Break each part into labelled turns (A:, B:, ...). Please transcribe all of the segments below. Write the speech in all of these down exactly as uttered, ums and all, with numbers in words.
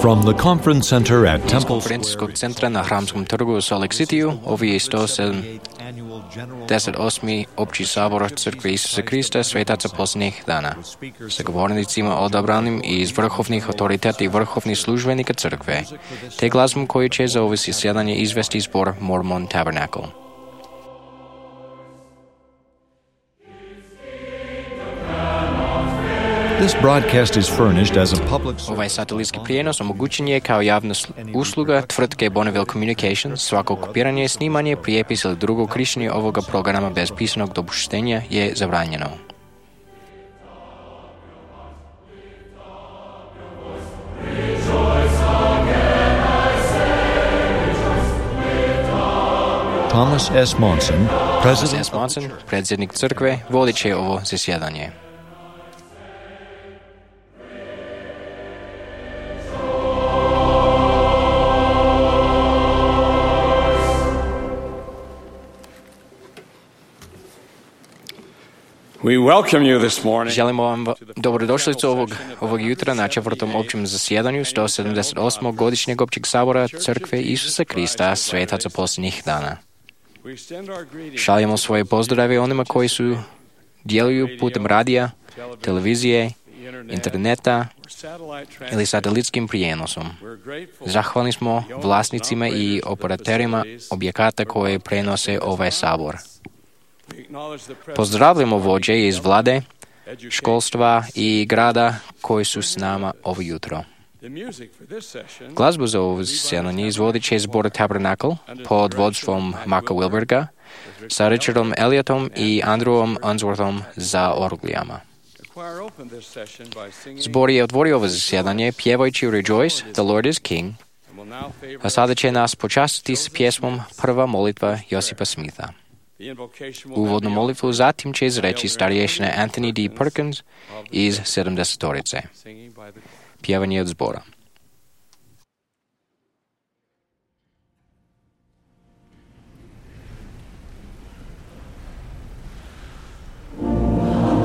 A: From the conference center at Temple
B: конференційного центра на Храмском торгу у Солт-Лейк-Ситiju, ovo je сто sedamdeset osmi Opći sabor Crkve Isusa Krista Svetaca posljednjih dana, sa govornicima odabranim iz vrhovnih autoriteta i vrhovnih službenika crkve, te glazbom koju će za ovo zasjedanje izvesti zbor Mormon Tabernacle.
A: This broadcast is furnished as a public service.
B: Ovaj satelitski prijenos omogućen je kao javna usluga tvrtke Bonneville Communications. Svako kopiranje, snimanje, prijepis ili drugo korištenje ovoga programa bez pisanog dopuštenja je zabranjeno.
A: Thomas S. Monson,
B: Thomas S. Monson, predsjednik crkve, vodit će ovo zasjedanje.
C: We welcome you this morning.
B: Želimo vam dobrodošlicu ovog, ovog jutra na četvrtom općem zasjedanju sto sedamdeset osmog godišnjeg općeg sabora Crkve Isusa Krista Svetaca posljednjih dana. Šaljemo svoje pozdrave onima koji su djeluju putem radija, televizije, interneta ili satelitskim prijenosom. Zahvalni smo vlasnicima i operaterima objekata koje prenose ovaj sabor. Pozdravljamo vođe iz vlade, školstva i grada koji su s nama ovo jutro. Glazbu za ovo zasjedanje izvodit će zbor Tabernacle pod vodstvom Maka Wilberga sa Richardom Elliotom i Andrewom Unsworthom za orglijama. Zbor je otvorio ovo zasjedanje pjevajući Rejoice, the Lord is King, a sada će nas počastiti s pjesmom Prva molitva Josipa Smitha. Uvodnu molitvu zatim će izreći starješina Anthony D. Perkins iz sedamdesetorice. Pjevanje od zbora.
D: Music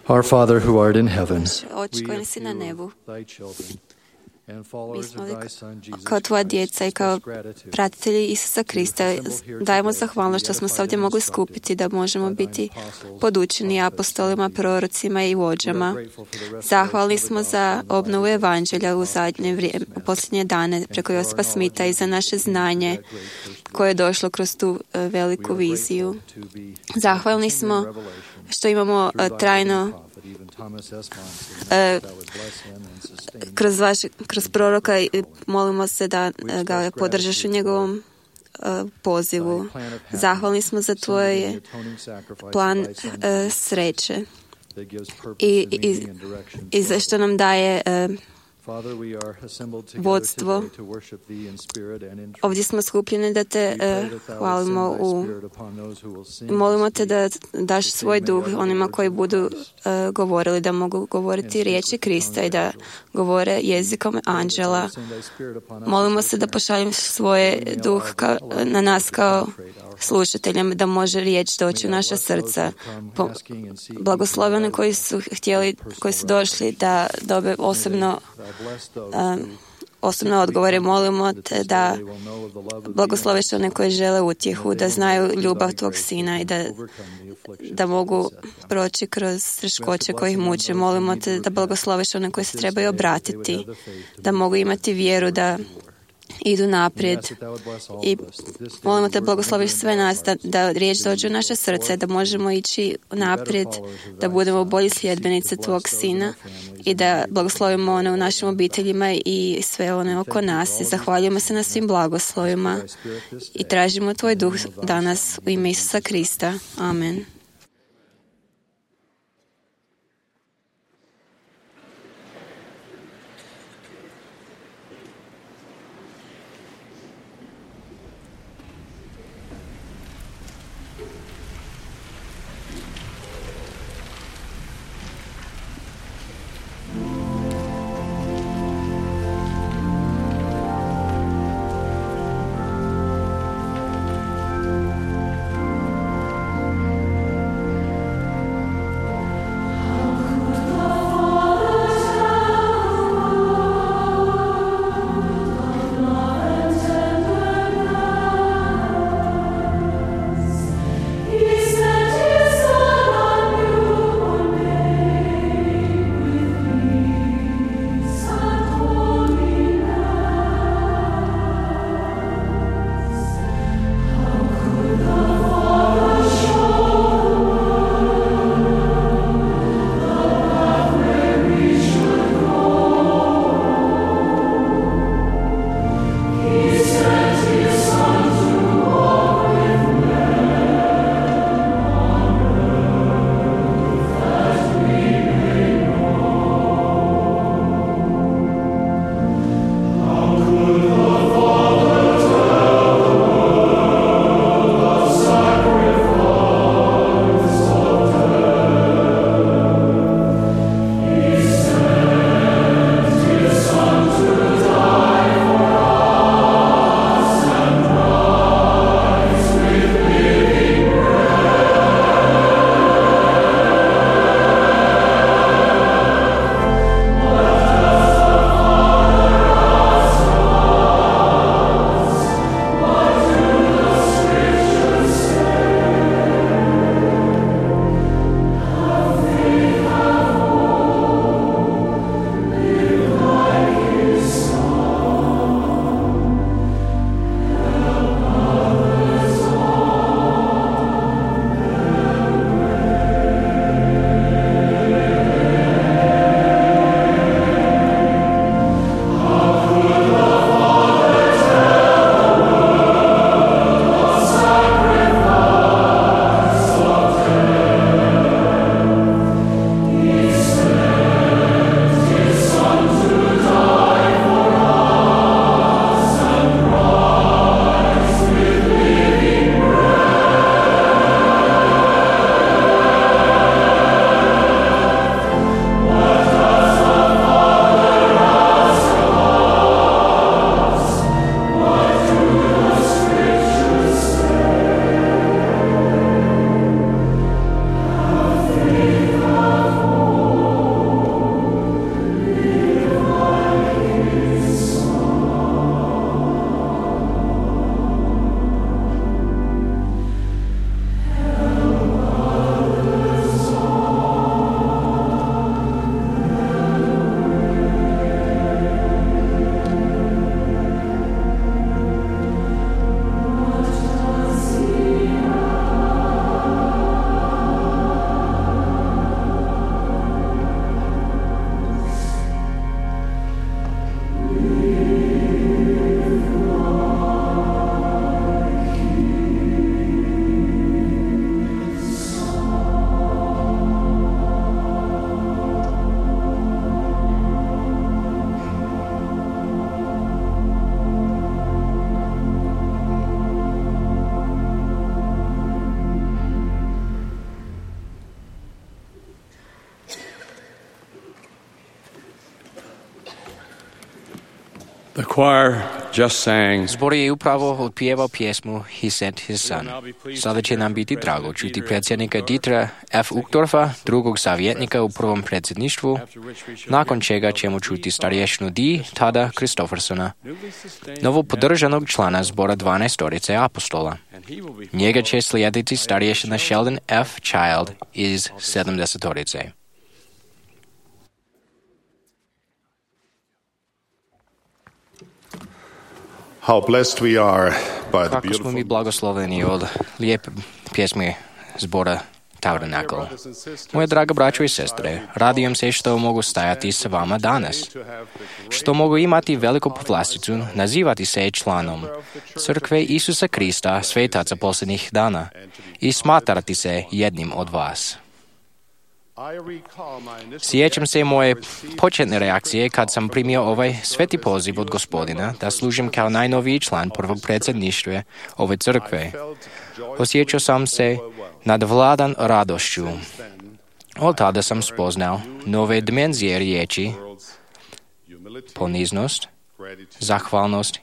C: Our Father who art in heaven,
D: Oče koji si na nebu,
C: thy children, and
D: mi
C: followers
D: smo
C: of
D: li
C: thy Son Jesus
D: kao tvoja
C: Christ,
D: djeca i kao
C: express gratitude
D: pratitelji Isusa Krista dajemo zahvalnost što smo se ovdje mogli skupiti da možemo biti podučeni apostolima, prorocima i vođama. Zahvalni smo za obnovu evanđelja u zadnje vrijeme, u posljednje dane preko Josipa Smitha i za naše znanje koje je došlo kroz tu e, veliku viziju. Zahvalni smo što imamo e, trajno e, kroz, vaš, kroz proroka i molimo se da e, ga podržaš u njegovom e, pozivu. Zahvalni smo za tvoj plan e, sreće i, i, i za što nam daje e, vodstvo. Ovdje smo skupljeni da te uh, hvalimo u... Molimo te da daš svoj duh onima koji budu uh, govorili, da mogu govoriti riječi Krista i da govore jezikom anđela. Molimo se da pošaljem svoje duh ka, na nas kao slušateljem, da može riječ doći u naša srca. Po, blagosloveni koji su htjeli, koji su došli da dobe osobno um, osobno odgovore. Molimo te da blagosloviš one koji žele utjehu, da znaju ljubav tvog sina i da, da mogu proći kroz teškoće koje ih muče. Molimo te da blagosloviš one koji se trebaju obratiti, da mogu imati vjeru, da idu naprijed i molimo te blagosloviš sve nas da, da riječ dođe u naše srce, da možemo ići naprijed, da budemo bolji sljedbenice tvog sina i da blagoslovimo one u našim obiteljima i sve one oko nas i zahvaljujemo se na svim blagoslovima i tražimo tvoj duh danas u ime Isusa Krista. Amen.
E: choir just sang.
B: Збор je upravo otpjeval pjesmu He Sent His Son. Sada će nam biti drago čuti predsjednika Dietera F. Uchtdorfa, drugog savjetnika u prvom predsjedništvu, nakon čega ćemo čuti starješnu D. Tada Christoffersona, novo podržanog člana zbora dvanaestorice apostola. Njega će slijediti starješina Sheldon F. Child iz sedamdesetorice.
F: How blessed we are by the
B: Kako smo
F: beautiful
B: mi blagosloveni od lijepe pjesme zbora Tabernacle. Moje draga braćo i sestre, radujem se što mogu stajati s vama danas, što mogu imati veliku povlasticu nazivati se članom Crkve Isusa Krista, svetaca posljednjih dana, i smatrati se jednim od vas. Sjećam se moje početne reakcije kad sam primio ovaj sveti poziv od Gospodina da služim kao najnoviji član prvog predsjedništva ove crkve. Osjećao sam se nadvladan radošću. Od tada sam spoznao nove dimenzije riječi: poniznost, zahvalnost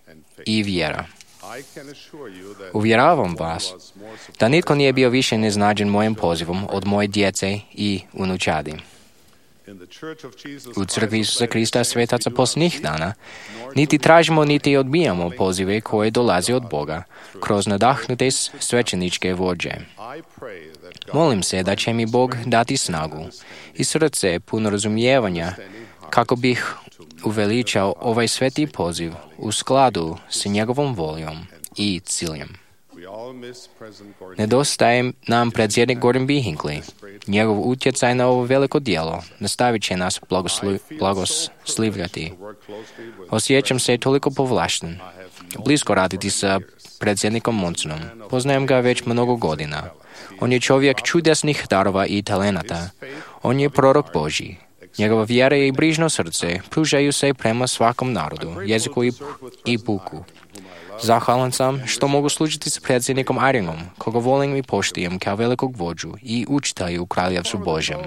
B: i vjera. Uvjeravam vas da nitko nije bio više neznađen mojim pozivom od moje djece i unučadi. U crkvi Isusa Krista, svetaca posljednjih dana, niti tražimo niti odbijamo pozive koje dolaze od Boga kroz nadahnute svećeničke vođe. Molim se da će mi Bog dati snagu i srce puno razumijevanja kako bih uveličao ovaj sveti poziv u skladu s njegovom voljom i ciljem. Nedostaje nam predsjednik Gordon B. Hinckley. Njegov utjecaj na ovo veliko djelo nastavit će nas blagoslu, blagoslivljati. Osjećam se toliko povlašten. Blisko raditi sa predsjednikom Monsonom. Poznajem ga već mnogo godina. On je čovjek čudesnih darova i talenata. On je prorok Božji. Njegova vjera i brižno srce pružaju se prema svakom narodu, jeziku i, i puku. Zahvalan sam što mogu služiti s predsjednikom Iringom, koga volim i poštijem kao velikog vođu i učitelju u Kraljevstvu Božjem.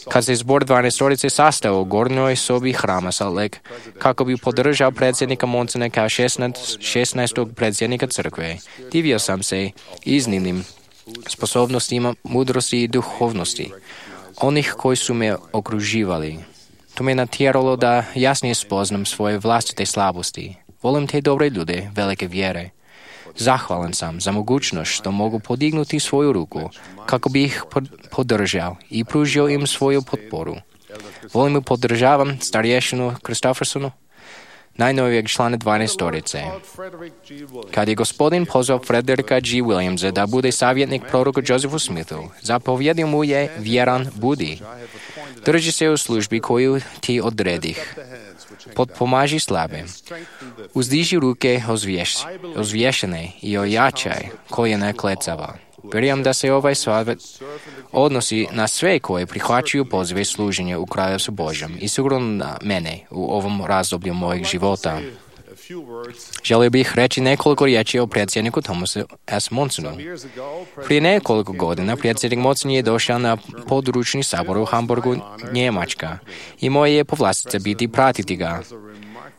B: Kad se zbor dvanaestorice sastao u gornjoj sobi hrama Salt Lake, kako bi podržao predsjednika Monsona kao šesnaestog predsjednika crkve, divio sam se iznimnim sposobnostima, mudrosti i duhovnosti onih koji su me okruživali. To me natjeralo da jasnije spoznam svoje vlastite slabosti. Volim te dobre ljude, velike vjere. Zahvalan sam za mogućnost što mogu podignuti svoju ruku kako bi ih podržao i pružio im svoju potporu. Volim i podržavam starješinu Christoffersonu, najnovijeg člana dvanaestorice. Kad je Gospodin pozvao Frederika G. Williamsa da bude savjetnik proroku Josephu Smithu, zapovjedio mu je: vjeran budi. Drži se u službi koju ti odredih. Potpomaži slabe. Uzdiži ruke ozvješ, ozvješene i ojačaj koljena klecava. Vjerujem da se ovaj savjet odnosi na sve koje prihvaćaju pozive služenja u Kraljevstvu Božjem i sigurno na mene u ovom razdoblju mojeg života. Želio bih reći nekoliko riječi o predsjedniku Thomasu S. Monsonu. Prije nekoliko godina predsjednik Monson je došao na područni sabor u Hamburgu, Njemačka, i moje je povlastica biti pratiti ga.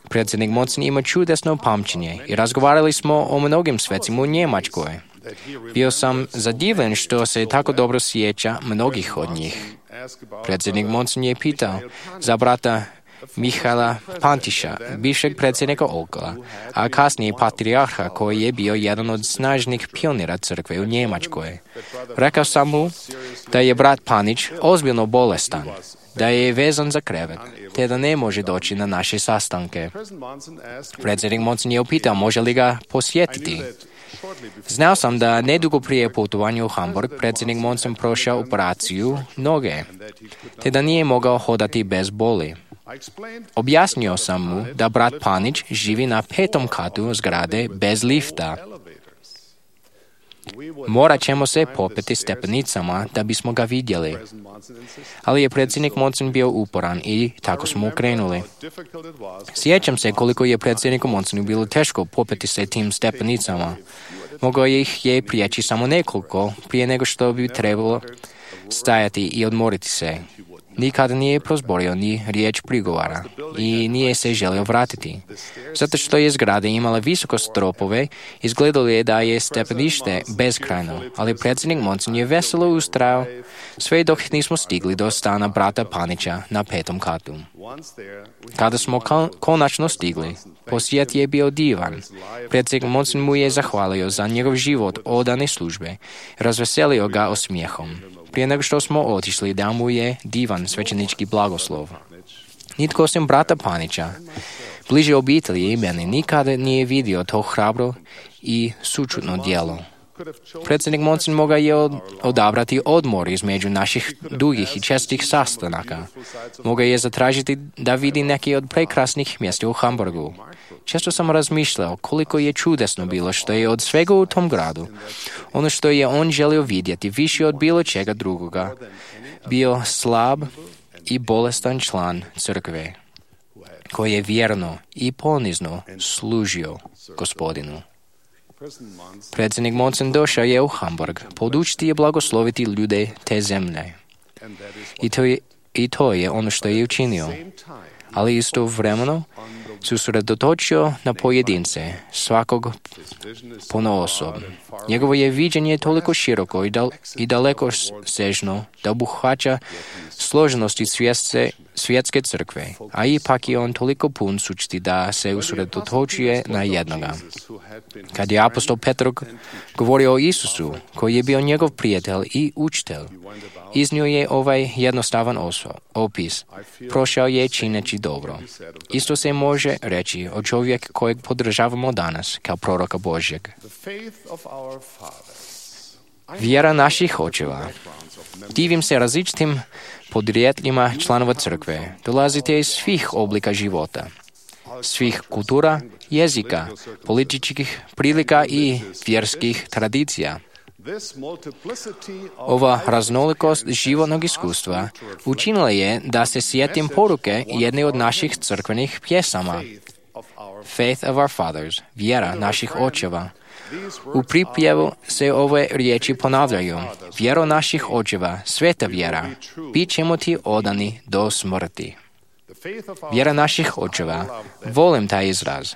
B: Predsjednik Monson ima čudesno pamćenje i razgovarali smo o mnogim svecima u Njemačkoj. Bio sam zadivljen što se tako dobro sjeća mnogih od njih. Predsjednik Monson je pitao za brata Mihaela Pantiša, bivšeg predsjednika Olkola, a kasnije patrijarha koji je bio jedan od snažnih pionira crkve u Njemačkoj. Rekao sam mu da je brat Panić ozbiljno bolestan, da je vezan za krevet, te da ne može doći na naše sastanke. Predsjednik Monson je upitao može li ga posjetiti. Znao sam da nedugo prije putovanja u Hamburg predsjednik Monson prošao operaciju noge, te da nije mogao hodati bez boli. Objasnio sam mu da brat Panić živi na petom katu zgrade bez lifta. Morat ćemo se popeti stepenicama da bismo ga vidjeli. Ali je predsjednik Monson bio uporan i tako smo krenuli. Sjećam se koliko je predsjedniku Monsonu bilo teško popeti se tim stepenicama. Mogao ih je prijeći samo nekoliko prije nego što bi trebalo stajati i odmoriti se. nikada nije prozborio ni riječ prigovara i nije se želio vratiti. Zato što je zgrada imala visoko stropove, izgledalo je da je stepenište bezkrajno, ali predsjednik Monson je veselo ustrajao sve dok nismo stigli do stana brata Panića na petom katu. Kada smo konačno stigli, posjet je bio divan. Predsjednik Monson mu je zahvalio za njegov život odane službe, razveselio ga osmijehom. Prije nego što smo otišli, dao mu je divan svećenički blagoslov. Nitko osim brata Panića, bliže obitelji i meni, nikada nije vidio to hrabro i sućutno djelo. Predsjednik Monson mogao je odabrati odmor između naših dugih i čestih sastanaka. Mogao je zatražiti da vidi neke od prekrasnih mjesta u Hamburgu. Često sam razmišljao koliko je čudesno bilo što je od svega u tom gradu, ono što je on želio vidjeti više od bilo čega drugoga, bio slab i bolestan član crkve, koji je vjerno i ponizno služio Gospodinu. Predsjednik Monson došao je u Hamburg, podučiti je blagosloviti ljude te zemlje. I to je, i to je ono što je učinio. Ali istovremeno se usredotočio na pojedince, svakog ponaosob. Njegovo je viđenje toliko široko i, dal, i daleko sežno da obuhvaća složenosti svjetske, svjetske crkve, a ipak je on toliko pun sučti da se usredotočuje na jednoga. Kad je apostol Petar govorio o Isusu, koji je bio njegov prijatelj i učitelj, iznio je ovaj jednostavan oso, opis. Prošao je čineći dobro. Isto se može reći o čovjek kojeg podržavamo danas kao proroka Božjeg. Vjera naših očeva. Divim se različitim podrijetljima članova crkve. Dolazite iz svih oblika života, svih kultura, jezika, političkih prilika i vjerskih tradicija. Ova raznolikost životnog iskustva učinila je da se sjetim poruke jedne od naših crkvenih pjesama, Faith of our fathers, vjera naših očeva. U pripjevu se ove riječi ponavljaju, vjero naših očeva, sveta vjera, bit ćemo ti odani do smrti. Vjera naših očeva, volim taj izraz.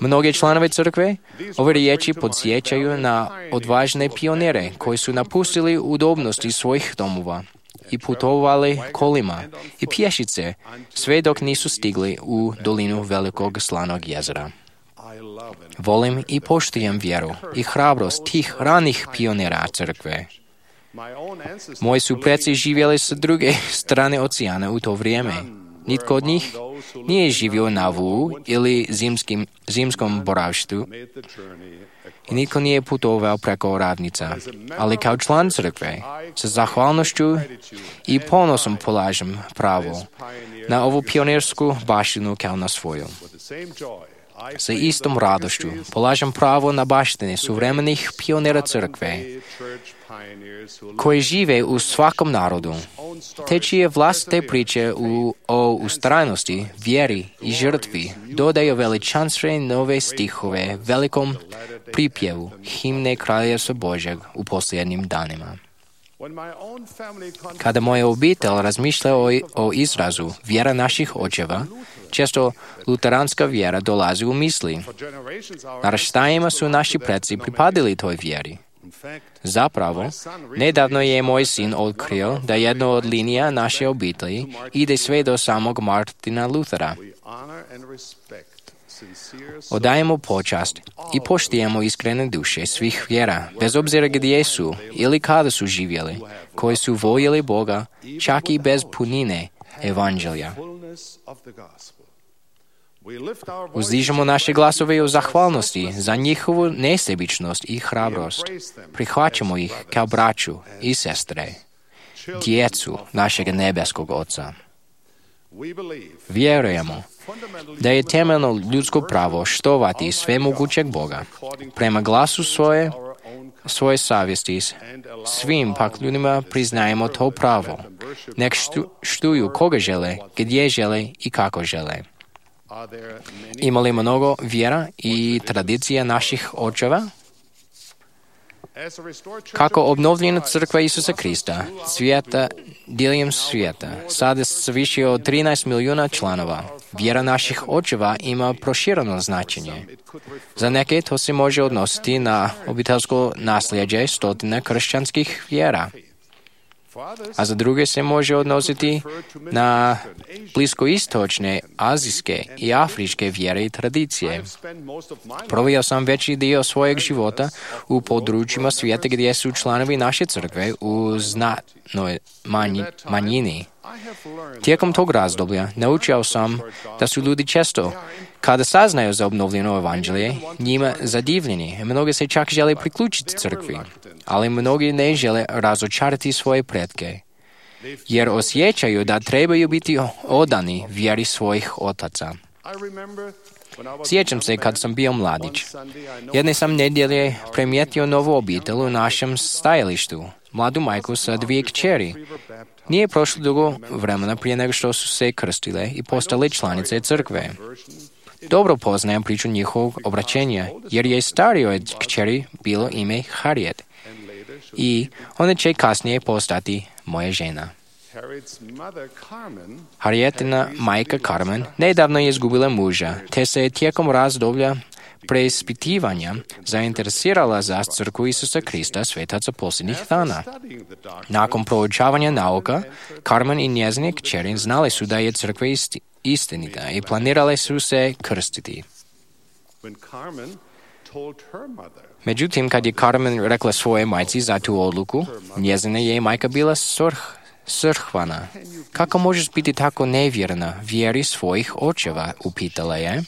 B: Mnoge članove crkve ove riječi podsjećaju na odvažne pionire koji su napustili udobnosti svojih domova i putovali kolima i pješice sve dok nisu stigli u dolinu velikog slanog jezera. Volim i poštujem vjeru i hrabrost tih ranih pionira crkve. Moji su preci živjeli s druge strane oceana u to vrijeme. Nitko od njih nije živio na Vu ili zimskim, zimskom boravištu i nitko nije putovao preko ravnica. Ali kao član crkve, sa zahvalnošću i ponosom polažem pravo na ovu pionirsku baštinu kao na svoju. Sa istom radošću polažem pravo na baštine suvremenih pionira crkve koji žive u svakom narodu, te čije vlastite priče u, o ustrajnosti, vjeri i žrtvi dodaju veličanstvene nove stihove velikom pripjevu himne Kraljevstva Božjeg u posljednjim danima. Kada moja obitelj razmišlja o, o izrazu vjera naših očeva, često luteranska vjera dolazi u misli. Naraštajima su naši preci pripadili toj vjeri. Zapravo, nedavno je moj sin otkrio da jedna od linija naše obitelji ide sve do samog Martina Luthera. Odajemo počast i poštujemo iskrene duše svih vjera, bez obzira gdje su ili kada su živjeli, koji su voljeli Boga, čak i bez punine evanđelja. Uzdižemo naše glasove o zahvalnosti za njihovu nesebičnost i hrabrost. Prihvaćamo ih kao braću i sestre, djecu našeg nebeskog Oca. Vjerujemo da je temeljno ljudsko pravo štovati svemogućeg Boga prema glasu svoje, svoje savjesti. Svim pak ljudima priznajemo to pravo. Nek štu, štuju koga žele, gdje žele i kako žele. Ima li mnogo vjera i tradicija naših očeva? Kako obnovljena crkva Isusa Krista, svijeta, diljem svijeta, sada s više od trinaest milijuna članova, vjera naših očeva ima prošireno značenje. Za neke to se može odnositi na obiteljsko nasljeđe stotine kršćanskih vjera, a za druge se može odnositi na bliskoistočne, azijske i afričke vjere i tradicije. Proveo sam veći dio svojeg života u područjima svijeta gdje su članovi naše crkve u znatnoj manji, manjini. Tijekom tog razdoblja naučio sam da su ljudi često, kada saznaju za obnovljeno evanđelje, njima zadivljeni. Mnogi se čak žele priključiti crkvi, ali mnogi ne žele razočarati svoje pretke, jer osjećaju da trebaju biti odani vjeri svojih otaca. Sjećam se kad sam bio mladić. Jedne sam nedjelje primijetio novu obitelj u našem stajalištu, mladu majku sa dvije kćeri. Nije prošlo dugo vremena prije nego što su se krstile i postale članice crkve. Dobro poznajem priču njihovog obraćenja, jer je starijoj kćeri bilo ime Harriet i ona će kasnije postati moja žena. Harrietina majka Carmen nedavno je izgubila muža, te se je tijekom razdoblja preispitivanja zainteresirala za crkvu Isusa Krista svetaca posljednjih dana. Nakon proučavanja nauka, Carmen i njezine kćeri znali su da je crkva isti, istinita i planirale su se krstiti. Međutim, kad je Carmen rekla svoje majci za tu odluku, njezina je majka bila srh, srhvana. Kako možeš biti tako nevjerna vjeri svojih očeva, upitala je.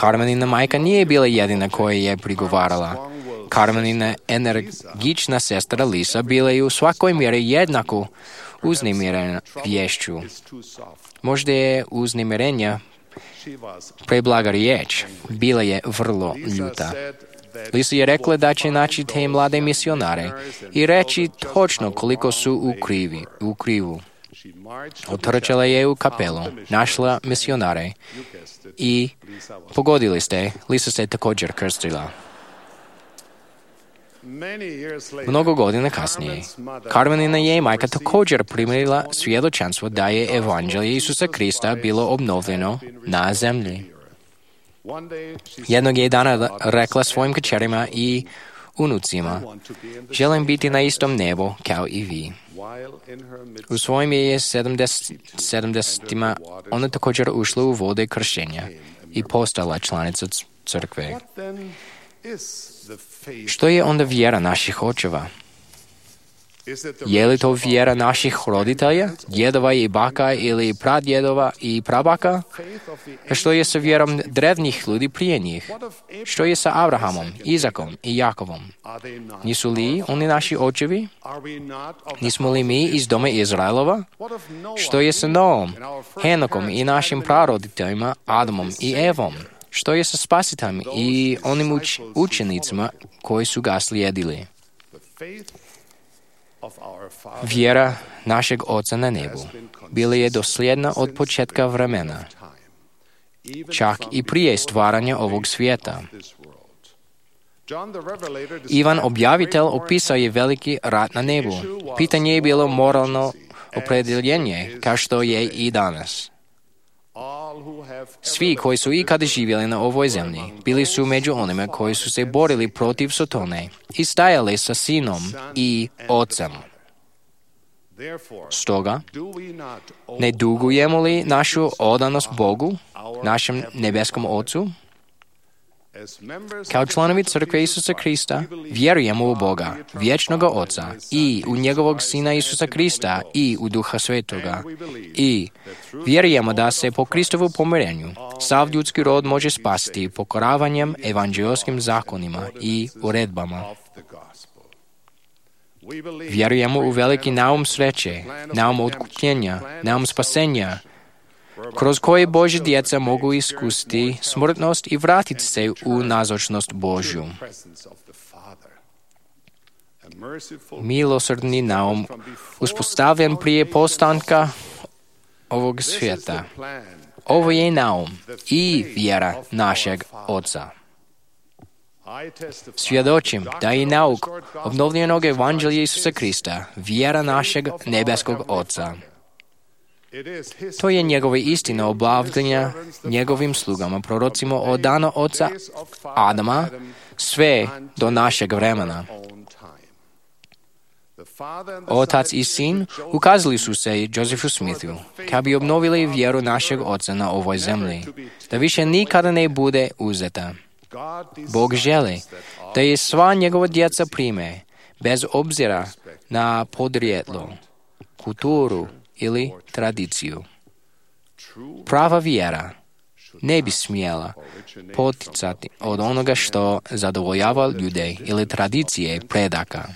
B: Carmenina majka nije bila jedina koja je prigovarala. Carmenina energična sestra Lisa bila je u svakoj mjeri jednako uznemirena vješću. Možda je uznemirenja preblaga riječ, bila je vrlo ljuta. Lisa je rekla da će naći te mlade misionare i reći točno koliko su u, krivi, u krivu. Otrčala je u kapelu, našla misionare i pogodili ste, Lisa se također krstila. Mnogo godina kasnije, Carmenina je majka također primila svjedočanstvo da je evanđelje Isusa Krista bilo obnovljeno na zemlji. Jednog je dana rekla svojim kćerima i unucima, želim biti na istom nebu kao i vi. U svojim je sedamdesetima ona također ušla u vode kršćenja i postala članica crkve. Što je onda vjera naših očeva? Je li to vjera naših roditelja, djedova i baka ili pradjedova i prabaka? Što je sa vjerom drevnih ljudi prije njih? Što je sa Abrahamom, Izakom i Jakovom? Nisu li oni naši očevi? Nismo li mi iz doma Izraelova? Što je sa Noom, Henokom i našim praroditeljima Adamom i Evom? Što je sa spasiteljem i onim uč- učenicima koji su ga slijedili? Vjera našeg Oca na nebu bila je dosljedna od početka vremena, čak i prije stvaranja ovog svijeta. Ivan objavitelj opisao je veliki rat na nebu. Pitanje je bilo moralno opredjeljenje, kao što je i danas. Svi koji su ikada živjeli na ovoj zemlji bili su među onima koji su se borili protiv Sotone i stajali sa Sinom i Ocem. Stoga, ne dugujemo li našu odanost Bogu, našem nebeskom Ocu? Kao članovi crkve Isusa Krista vjerujemo u Boga, vječnoga Oca, i u njegovog Sina Isusa Krista i u Duha Svetoga. I vjerujemo da se po Kristovu pomirenju sav ljudski rod može spasiti pokoravanjem evanđeoskim zakonima i uredbama. Vjerujemo u veliki naum sreće, naum otkupljenja, naum spasenja, kroz koje Božje djeca mogu iskusiti smrtnost i vratiti se u nazočnost Božju. Milosrdni naum uspostavljen prije postanka ovog svijeta. Ovo je naum i vjera našeg Oca. Svjedočim da je nauk obnovljenog evanđelja Isusa Krista vjera našeg nebeskog Oca. To je njegova istina obavljanja njegovim slugama, prorocima od dana oca Adama sve do našeg vremena. Otac i sin ukazali su se Josephu Smithu kako bi obnovili vjeru našeg oca na ovoj zemlji, da više nikada ne bude uzeta. Bog želi da je sva njegova djeca prime, bez obzira na podrijetlo, kulturu ili tradiciju. Prava vjera ne bi smjela poticati od onoga što zadovoljava ljude ili tradicije predaka,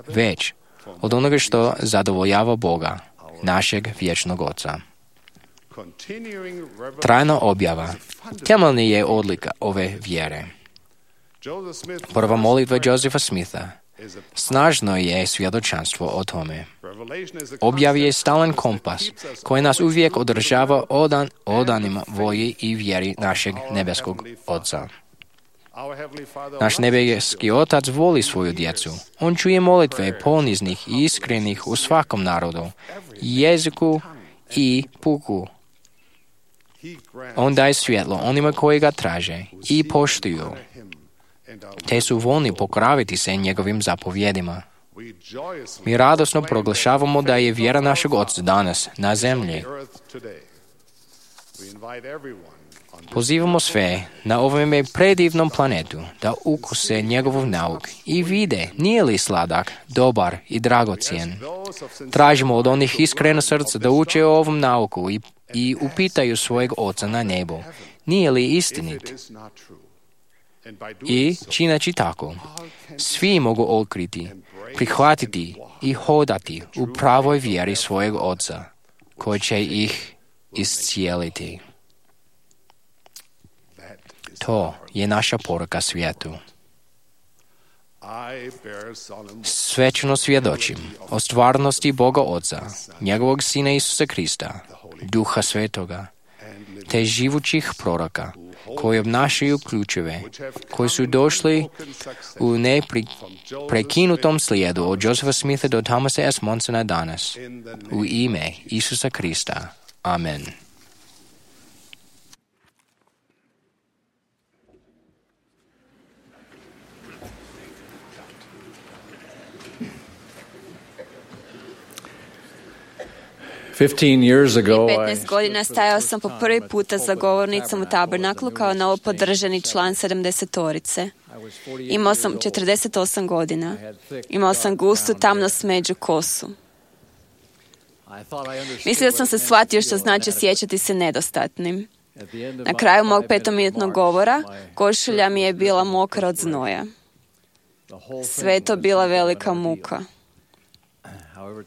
B: već od onoga što zadovoljava Boga, našeg vječnog Oca. Trajna objava temeljna je odlika ove vjere. Prva molitva Josepha Smitha snažno je svjedočanstvo o tome. Objav je stalan kompas koji nas uvijek održava odan, odanima volji i vjeri našeg nebeskog Oca. Naš nebeski Otac voli svoju djecu. On čuje molitve poniznih i iskrenih u svakom narodu, jeziku i puku. On daje svjetlo onima koji ga traže i poštuju, te su voljni pokoraviti se njegovim zapovjedima. Mi radosno proglašavamo da je vjera našeg Oca danas na zemlji. Pozivamo sve na ovome predivnom planetu da ukuse njegov nauk i vide nije li sladak, dobar i dragocjen. Tražimo od onih iskreno srca da uče o ovom nauku i, i upitaju svojeg Oca na nebu. Nije li istinit? I čineći tako, svi mogu otkriti, prihvatiti i hodati u pravoj vjeri svojeg Oca, koji će ih iscijeliti. To je naša poruka svijetu. Svečno svjedočim o stvarnosti Boga Oca, njegovog Sina Isusa Krista, Duha Svetoga, te živućih proroka, koji obnašaju ključeve, koji su došli u neprekinutom slijedu od Josepha Smitha do Thomasa S. Monsona danas. U ime Isusa Krista. Amen.
D: petnaest godina stajao sam po prvi puta za govornicom u Tabernaklu kao novopodržani član sedamdesetorice. Imao sam četrdeset osam godina. Imao sam gustu, tamno smeđu kosu. Mislio sam se shvatio što znači sjećati se nedostatnim. Na kraju mog petominutnog govora košulja mi je bila mokra od znoja. Sve je to bila velika muka.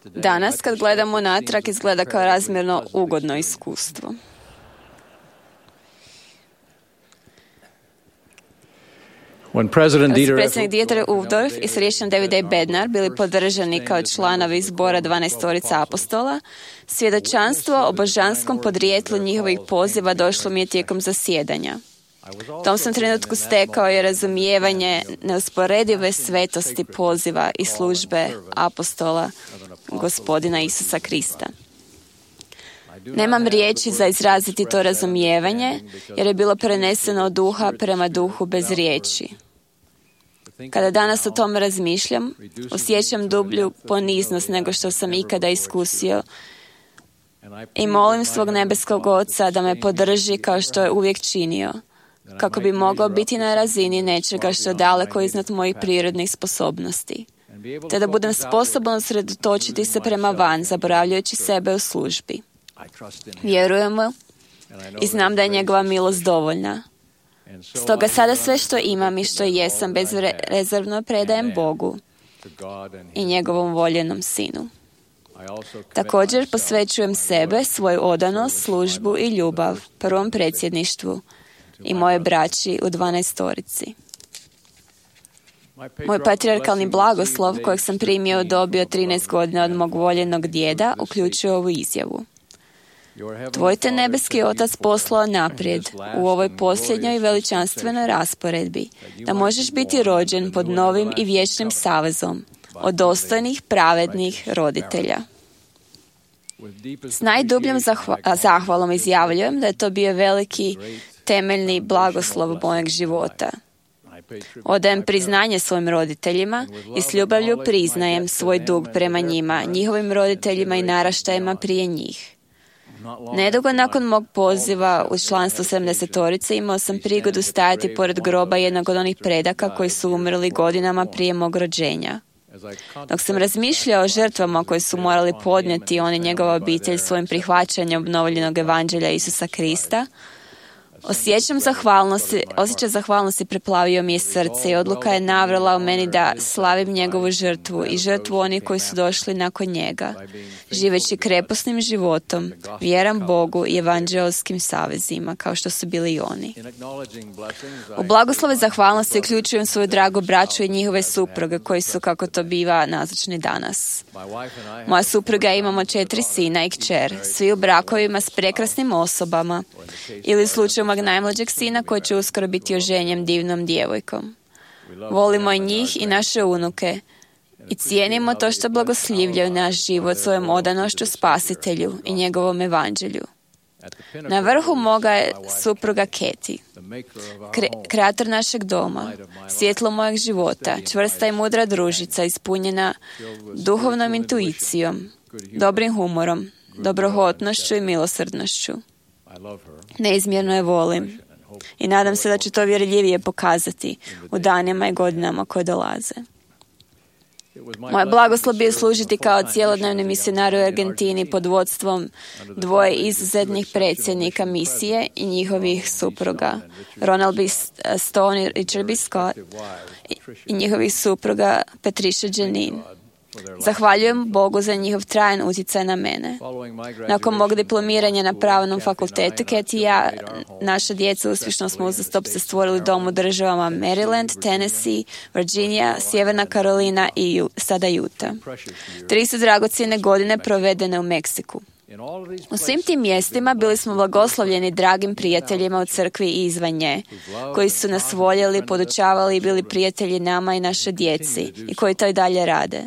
D: Danas, kad gledamo natrag, izgleda kao razmjerno ugodno iskustvo. Kad su predsjednik Dieter Uchtdorf i središnji David A. Bednar bili podržani kao članovi zbora dvanaestorica apostola, svjedočanstvo o božanskom podrijetlu njihovih poziva došlo mi je tijekom zasjedanja. U tom sam trenutku stekao je razumijevanje neusporedive svetosti poziva i službe apostola Gospodina Isusa Krista. Nemam riječi za izraziti to razumijevanje, jer je bilo preneseno od duha prema duhu bez riječi. Kada danas o tome razmišljam, osjećam dublju poniznost nego što sam ikada iskusio i molim svog nebeskog Oca da me podrži kao što je uvijek činio, kako bi mogao biti na razini nečega što je daleko iznad mojih prirodnih sposobnosti, te da budem sposoban sredotočiti se prema van, zaboravljajući sebe u službi. Vjerujemo i znam da je njegova milost dovoljna. Stoga sada sve što imam i što jesam bezrezervno predajem Bogu i njegovom voljenom Sinu. Također posvećujem sebe, svoju odanost, službu i ljubav prvom predsjedništvu i moje braći u dvanaestorici. Moj patrijarkalni blagoslov, kojeg sam primio, dobio trinaest godina od mog voljenog djeda, uključuje ovu izjavu. Tvoj te nebeski Otac poslao naprijed u ovoj posljednjoj veličanstvenoj rasporedbi, da možeš biti rođen pod novim i vječnim savezom od dostojnih, pravednih roditelja. S najdubljom zahva- zahvalom izjavljujem da je to bio veliki temeljni blagoslov mojeg života. Odajem priznanje svojim roditeljima i s ljubavlju priznajem svoj dug prema njima, njihovim roditeljima i naraštajima prije njih. Nedugo nakon mog poziva u članstvo sedamdesetorice imao sam prigodu stajati pored groba jednog od onih predaka koji su umrli godinama prije mog rođenja. Dok sam razmišljao o žrtvama koje su morali podnijeti on i njegova obitelj svojim prihvaćanjem obnovljenog evanđelja Isusa Krista, Osjećam zahvalnosti, osjećaj zahvalnosti preplavio mi je srce i odluka je navrala u meni da slavim njegovu žrtvu i žrtvu onih koji su došli nakon njega, živeći kreposnim životom, vjeram Bogu i evanđeoskim savezima, kao što su bili i oni. U blagoslove zahvalnosti uključujem svoju dragu braću i njihove supruge, koji su, kako to biva, nazočni danas. Moja supruga imamo četiri sina i kćer, svi u brakovima s prekrasnim osobama, ili u slučaju mog najmlađeg sina koji će uskoro biti oženjen divnom djevojkom. Volimo i njih i naše unuke i cijenimo to što blagoslivljaju naš život svojom odanošću Spasitelju i njegovom evanđelju. Na vrhu moga je supruga Keti, Kre- kreator našeg doma, svjetlo mojeg života, čvrsta i mudra družica ispunjena duhovnom intuicijom, dobrim humorom, dobrohotnošću i milosrdnošću. Neizmjerno je volim i nadam se da ću to vjerljivije pokazati u danima i godinama koje dolaze. Moje blagoslov bio služiti kao cijelodnevni misionar u Argentini pod vodstvom dvoje izuzetnih predsjednika misije i njihovih supruga, Ronald B. Stone i Richard B. Scott, i njihovih supruga Patricia Janine. Zahvaljujem Bogu za njihov trajan utjecaj na mene. Nakon mog diplomiranja na pravnom fakultetu, Keti i ja, naša djeca, uspješno smo uzastopce stvorili dom u državama Maryland, Tennessee, Virginia, Sjeverna Karolina i sada Utah. Tri su dragocjene godine provedene u Meksiku. U svim tim mjestima bili smo blagoslovljeni dragim prijateljima u crkvi i izvan nje, koji su nas voljeli, podučavali i bili prijatelji nama i naše djeci i koji to i dalje rade.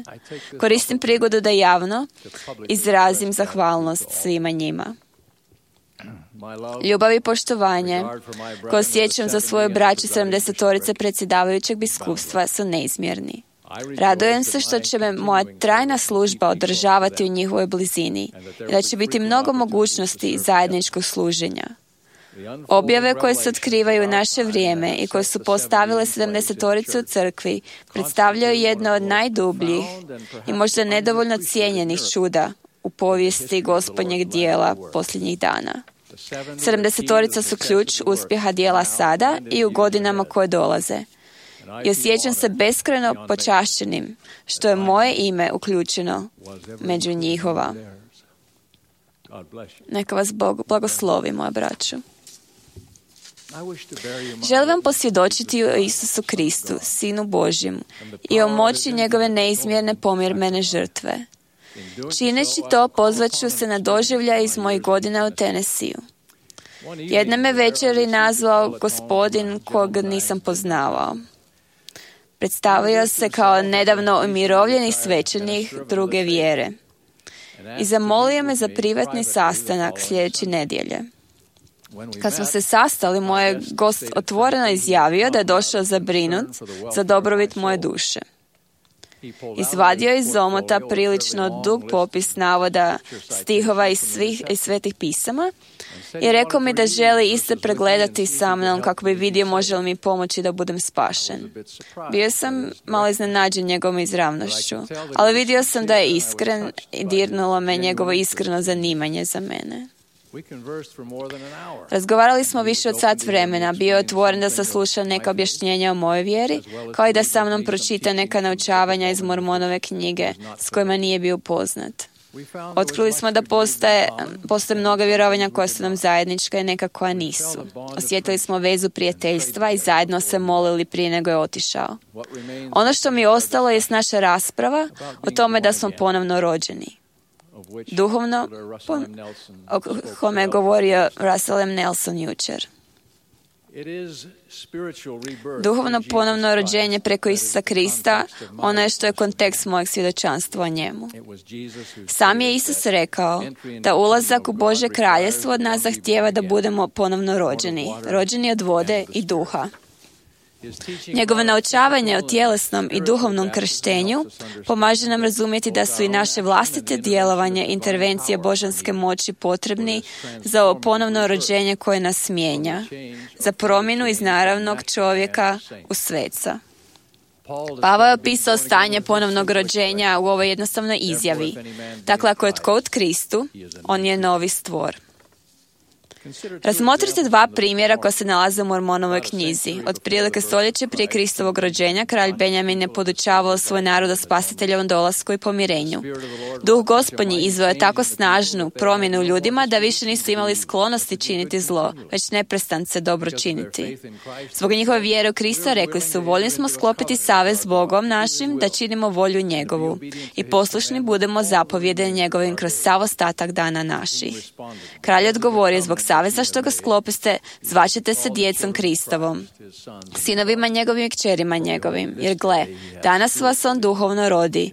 D: Koristim prigodu da javno izrazim zahvalnost svima njima. Ljubav i poštovanje koje osjećam za svoju braću sedamdesetorice predsjedavajućeg biskupstva su neizmjerni. Radujem se što će me moja trajna služba održavati u njihovoj blizini i da će biti mnogo mogućnosti zajedničkog služenja. Objave koje se otkrivaju u naše vrijeme i koje su postavile sedamdesetorice u crkvi predstavljaju jedno od najdubljih i možda nedovoljno cijenjenih čuda u povijesti Gospodnjeg dijela posljednjih dana. Sedamdesetorica su ključ uspjeha dijela sada i u godinama koje dolaze. I osjećam se beskrajno počašćenim što je moje ime uključeno među njihova. Neka vas Bog blagoslovi, moja braćo. Želim vam posvjedočiti o Isusu Kristu, Sinu Božjem, i o moći njegove neizmjerne pomirmene žrtve. Čineći to, pozvaću se na doživljaj iz mojih godina u Tennesseeu. Jedne me večeri nazvao gospodin kog nisam poznavao. Predstavio se kao nedavno umirovljeni svećenik druge vjere i zamolio me za privatni sastanak sljedeće nedjelje. Kad smo se sastali, moj je gost otvoreno izjavio da je došao zabrinut za dobrobit moje duše. Izvadio je iz omota prilično dug popis navoda stihova iz svih iz svetih pisama i rekao mi da želi iste pregledati sa mnom kako bi vidio može li mi pomoći da budem spašen. Bio sam malo iznenađen njegovom izravnošću, ali vidio sam da je iskren i dirnulo me njegovo iskreno zanimanje za mene. Razgovarali smo više od sat vremena, bio je otvoren da sasluša neka objašnjenja o mojoj vjeri, kao i da sa mnom pročita neka naučavanja iz Mormonove knjige s kojima nije bio poznat. Otkrili smo da postoje, postoje mnoga vjerovanja koja su nam zajednička i neka koja nisu. Osjetili smo vezu prijateljstva i zajedno se molili prije nego je otišao. Ono što mi je ostalo jest naša rasprava o tome da smo ponovno rođeni. duhovno, o kome je govorio Russell M. Nelson jučer. Duhovno ponovno rođenje preko Isusa Krista, ono je što je kontekst mojeg svjedočanstva o njemu. Sam je Isus rekao da ulazak u Božje kraljestvo od nas zahtijeva da budemo ponovno rođeni, rođeni od vode i duha. Njegovo naučavanje o tjelesnom i duhovnom krštenju pomaže nam razumjeti da su i naše vlastite djelovanje, intervencije božanske moći potrebni za ovo ponovno rođenje koje nas mijenja, za promjenu iz naravnog čovjeka u sveca. Pavao je opisao stanje ponovnog rođenja u ovoj jednostavnoj izjavi. Dakle, ako je tko u Kristu, on je novi stvor. Razmotrite dva primjera koja se nalaze u Mormonovoj knjizi. Otprilike stoljeće prije Kristovog rođenja, kralj Benjamin je podučavao svoj narod o spasiteljovom dolasku i pomirenju. Duh Gospodnji izveo je tako snažnu promjenu u ljudima da više nisu imali sklonosti činiti zlo, već neprestance dobro činiti. Zbog njihove vjere u Krista rekli su, voljni smo sklopiti savez s Bogom našim da činimo volju njegovu i poslušni budemo zapovjede njegovim kroz sav ostatak dana naših. Kralj odgovorio, zbog saveza što ga sklopiste, zvaćete se djecom Kristovom, sinovima njegovim i kćerima njegovim, jer gle, danas vas on duhovno rodi,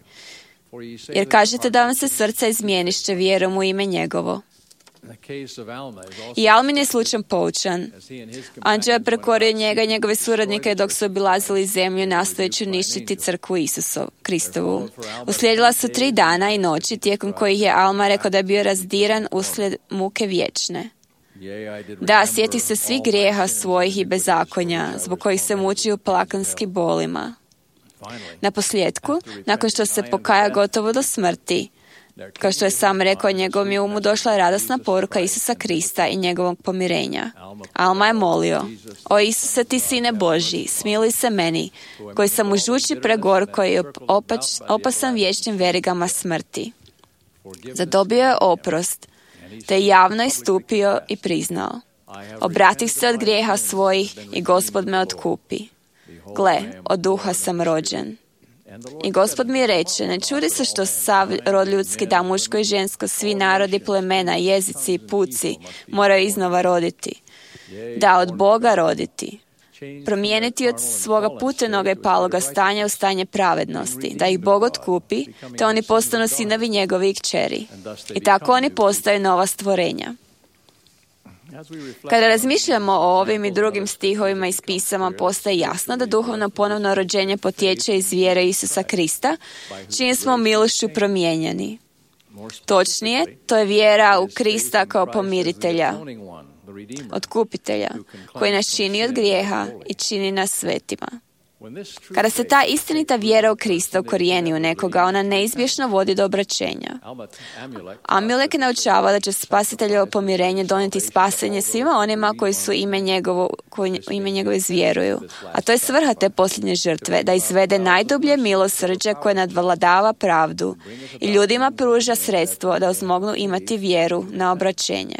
D: jer kažete da vam se srce izmjenišće vjerom u ime njegovo. I Almin je slučajno poučan. Anđeo je prekorio njega i njegove suradnike dok su obilazili zemlju nastojeći uništiti crkvu Isusov, Kristovu. Uslijedila su tri dana i noći tijekom kojih je Alma rekao da je bio razdiran uslijed muke vječne. Da, sjeti se svih grijeha svojih i bezakonja, zbog kojih se muči u plakanski bolima. Na posljedku, nakon što se pokaja gotovo do smrti, kao što je sam rekao, njegovom je umu došla radosna poruka Isusa Krista i njegovog pomirenja. Alma je molio, o Isuse, ti sine Božji, smiluj se meni, koji sam u žuči pregorko i opač, opasan vječnim verigama smrti. Zadobio je oprost, te javno istupio i priznao, obratih se od grijeha svojih i Gospod me otkupi. Gle, od duha sam rođen. I Gospod mi reče, ne čudi se što sav rod ljudski, da muško i žensko, svi narodi, plemena, jezici i puci moraju iznova roditi. Da, od Boga roditi. Promijeniti od svoga putenoga i paloga stanja u stanje pravednosti, da ih Bog otkupi, te oni postanu sinovi njegovi i kćeri. I tako oni postaju nova stvorenja. Kada razmišljamo o ovim i drugim stihovima iz pisama, postaje jasno da duhovno ponovno rođenje potječe iz vjere Isusa Krista, čim smo milošću promijenjeni. Točnije, to je vjera u Krista kao pomiritelja, otkupitelja, koji nas čini od grijeha i čini nas svetima. Kada se ta istinita vjera u Krista ukorijeni u nekoga, ona neizbježno vodi do obraćenja. Amilek naučava da će spasiteljevo pomirenje donijeti spasenje svima onima koji su ime njegovo, koji u ime njegove zvjeruju. A to je svrha te posljednje žrtve, da izvede najdublje milosrđe koje nadvladava pravdu i ljudima pruža sredstvo da uzmognu imati vjeru na obraćenje.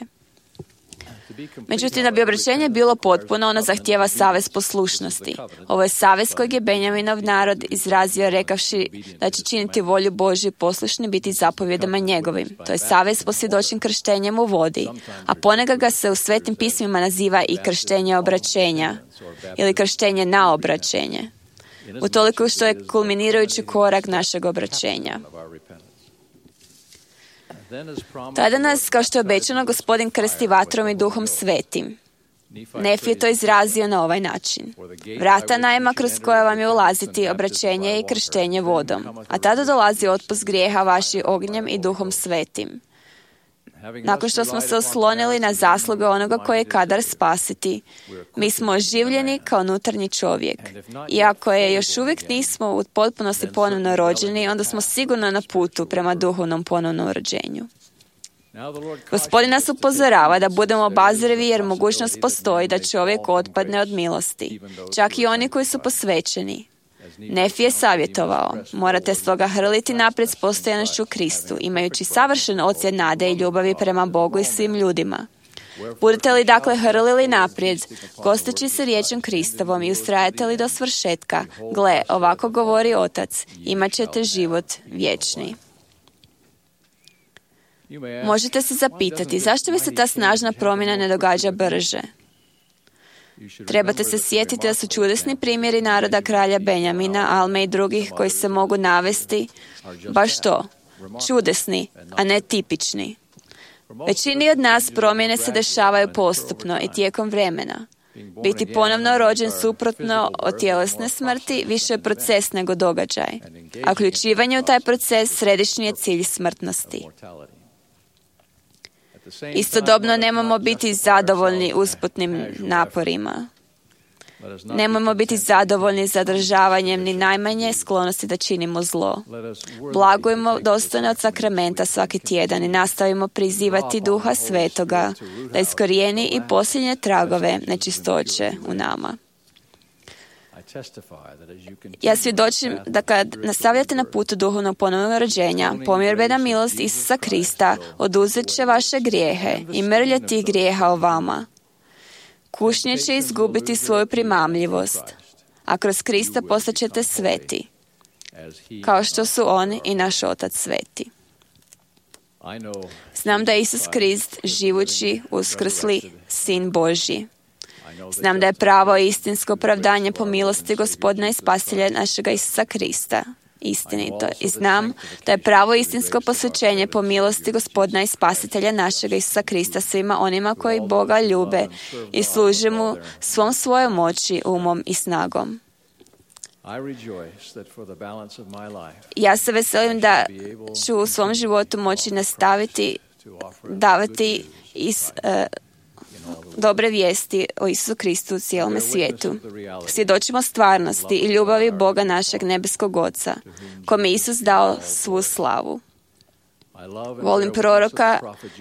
D: Međutim, da bi obraćenje bilo potpuno, ono zahtijeva savez poslušnosti. Ovo je savez kojeg je Benjaminov narod izrazio rekavši da će činiti volju Božju i poslušni biti zapovjedama njegovim. To je savez posvjedočen krštenjem u vodi, a ponekad ga se u svetim pismima naziva i krštenje obraćenja ili krštenje na obraćenje, utoliko što je kulminirajući korak našeg obraćenja. Tada nas, kao što je obećano, Gospodin krsti vatrom i duhom svetim. Nefi je to izrazio na ovaj način. Vrata najma kroz koja vam je ulaziti obraćenje i krštenje vodom, a tada dolazi otpust grijeha vaši ognjem i duhom svetim. Nakon što smo se oslonili na zasluge onoga koje je kadar spasiti, mi smo oživljeni kao unutarnji čovjek. Iako je još uvijek nismo u potpunosti ponovno rođeni, onda smo sigurno na putu prema duhovnom ponovnom rođenju. Gospodin nas upozorava da budemo obazrivi jer mogućnost postoji da čovjek otpadne od milosti, čak i oni koji su posvećeni. Nefi je savjetovao, morate stoga hrliti naprijed s postojanošću Kristu, imajući savršen ocjed nade i ljubavi prema Bogu i svim ljudima. Budete li dakle hrlili naprijed, gosteći se riječom Kristovom i ustrajate li do svršetka, gle, ovako govori Otac, imat ćete život vječni. Možete se zapitati zašto bi se ta snažna promjena ne događa brže. Trebate se sjetiti da su čudesni primjeri naroda kralja Benjamina, Alme i drugih koji se mogu navesti baš to, čudesni, a ne tipični. Većini od nas promjene se dešavaju postupno i tijekom vremena. Biti ponovno rođen suprotno od tjelesne smrti više je proces nego događaj, a uključivanje u taj proces središnji je cilj smrtnosti. Istodobno nemamo biti zadovoljni usputnim naporima. Nemojmo biti zadovoljni zadržavanjem ni najmanje sklonosti da činimo zlo. Blagujmo dostojno od sakramenta svaki tjedan i nastavimo prizivati Duha Svetoga da iskorijeni i posljednje tragove nečistoće u nama. Ja svjedočim da kad nastavljate na putu duhovnog ponovnog rođenja, pomirbena milost Isusa Krista oduzet će vaše grijehe i mrlje tih grijeha o vama. Kušnje će izgubiti svoju primamljivost, a kroz Krista postaćete sveti, kao što su On i naš Otac sveti. Znam da je Isus Krist živući, uskrsli Sin Božji. Znam da je pravo i istinsko opravdanje po milosti Gospodina i Spasitelja našega Isusa Krista istinito. I znam da je pravo istinsko posvećenje po milosti Gospodina i Spasitelja našega Isusa Krista svima onima koji Boga ljube i služe mu svom svojom moći, umom i snagom. Ja se veselim da ću u svom životu moći nastaviti davati iz uh, dobre vijesti o Isusu Kristu u cijelome svijetu. Svjedočimo stvarnosti i ljubavi Boga našeg nebeskog Oca, kome Isus dao svu slavu. Volim proroka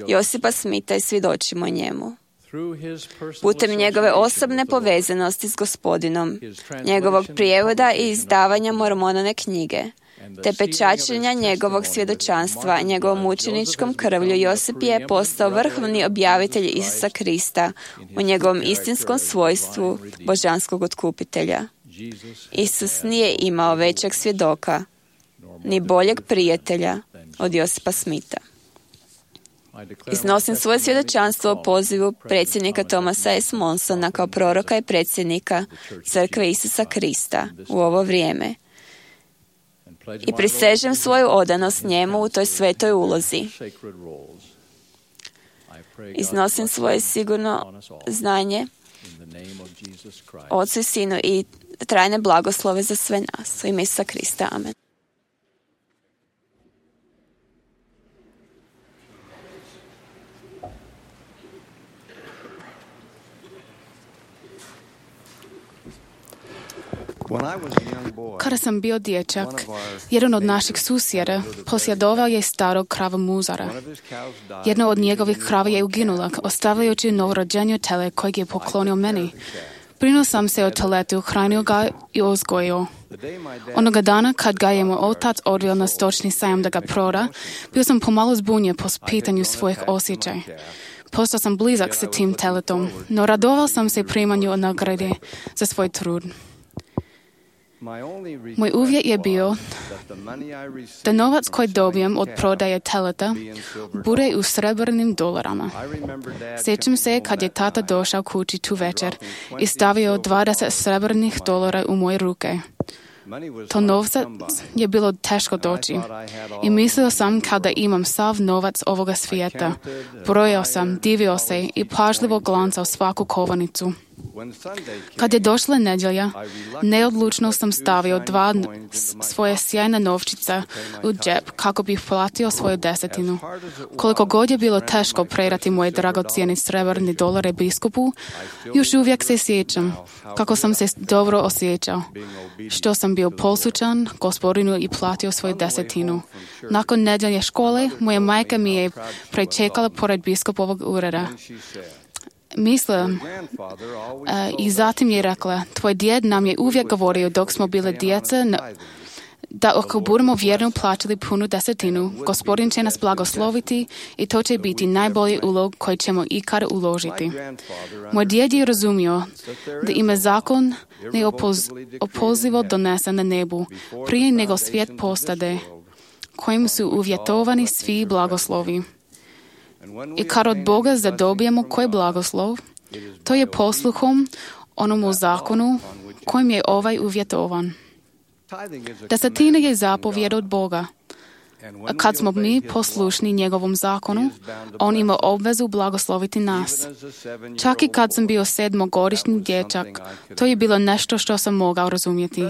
D: Josipa Smita i svjedočimo njemu. Putem njegove osobne povezanosti s Gospodinom, njegovog prijevoda i izdavanja Mormonove knjige, te pečačenja njegovog svjedočanstva njegovom mučeničkom krvlju, Josip je postao vrhovni objavitelj Isusa Krista u njegovom istinskom svojstvu božanskog otkupitelja. Isus nije imao većeg svjedoka, ni boljeg prijatelja od Josipa Smita. Iznosim svoje svjedočanstvo o pozivu predsjednika Thomasa S. Monsona kao proroka i predsjednika Crkve Isusa Krista u ovo vrijeme i prisežem svoju odanost njemu u toj svetoj ulozi. Iznosim svoje sigurno znanje Otcu i Sinu i trajne blagoslove za sve nas. U ime Isusa Krista. Amen.
G: Kada sam bio dječak, jedan od naših susjeda posjedovao je starog krava muzara. Jedna od njegovih krava je uginula, ostavljajući novorođenje tele kojeg je poklonio meni. Brinuo sam se o teletu, hranio ga i uzgojio. Onoga dana, kad ga je moj otac odveo na stočni sajam da ga proda, bio sam pomalo zbunjen po pitanju svojih osjećaja. Postao sam blizak sa tim teletom, no radovao sam se primanju nagrade za svoj trud. Moj uvjet je bio da novac koji dobijem od prodaje teleta bude u srebrnim dolarama. Sjećam se kad je tata došao kući tu večer i stavio dvadeset srebrnih dolara u moje ruke. To novca je bilo teško doći i mislio sam kao da imam sav novac ovoga svijeta. Brojao sam, divio se i pažljivo glancao svaku kovanicu. Kad je došla nedjelja, neodlučno sam stavio dva svoje sjajne novčice u džep kako bih platio svoju desetinu. Koliko god je bilo teško predati moje dragocijene srebrne dolare biskupu, još uvijek se sjećam kako sam se dobro osjećao, što sam bio poslušan Gospodinu i platio svoju desetinu. Nakon nedjelje škole, moja majka mi je prečekala pored biskupovog ureda. Mislim, uh, i zatim je rekla, tvoj djed nam je uvijek govorio dok smo bile djeca, da ako budemo vjerno plaćali punu desetinu, Gospodin će nas blagosloviti i to će biti najbolji ulog koji ćemo ikad uložiti. Moj djed je razumio da ima zakon neopozivo donesen na nebu prije nego svijet postade, kojim su uvjetovani svi blagoslovi. I kad od Boga zadobijemo koji blagoslov, to je posluhom onomu zakonu kojim je ovaj uvjetovan. Desetina je zapovjed od Boga. A kad smo mi poslušni njegovom zakonu, on ima obvezu blagosloviti nas. Čak i kad sam bio sedmogodišnji dječak, to je bilo nešto što sam mogao razumjeti.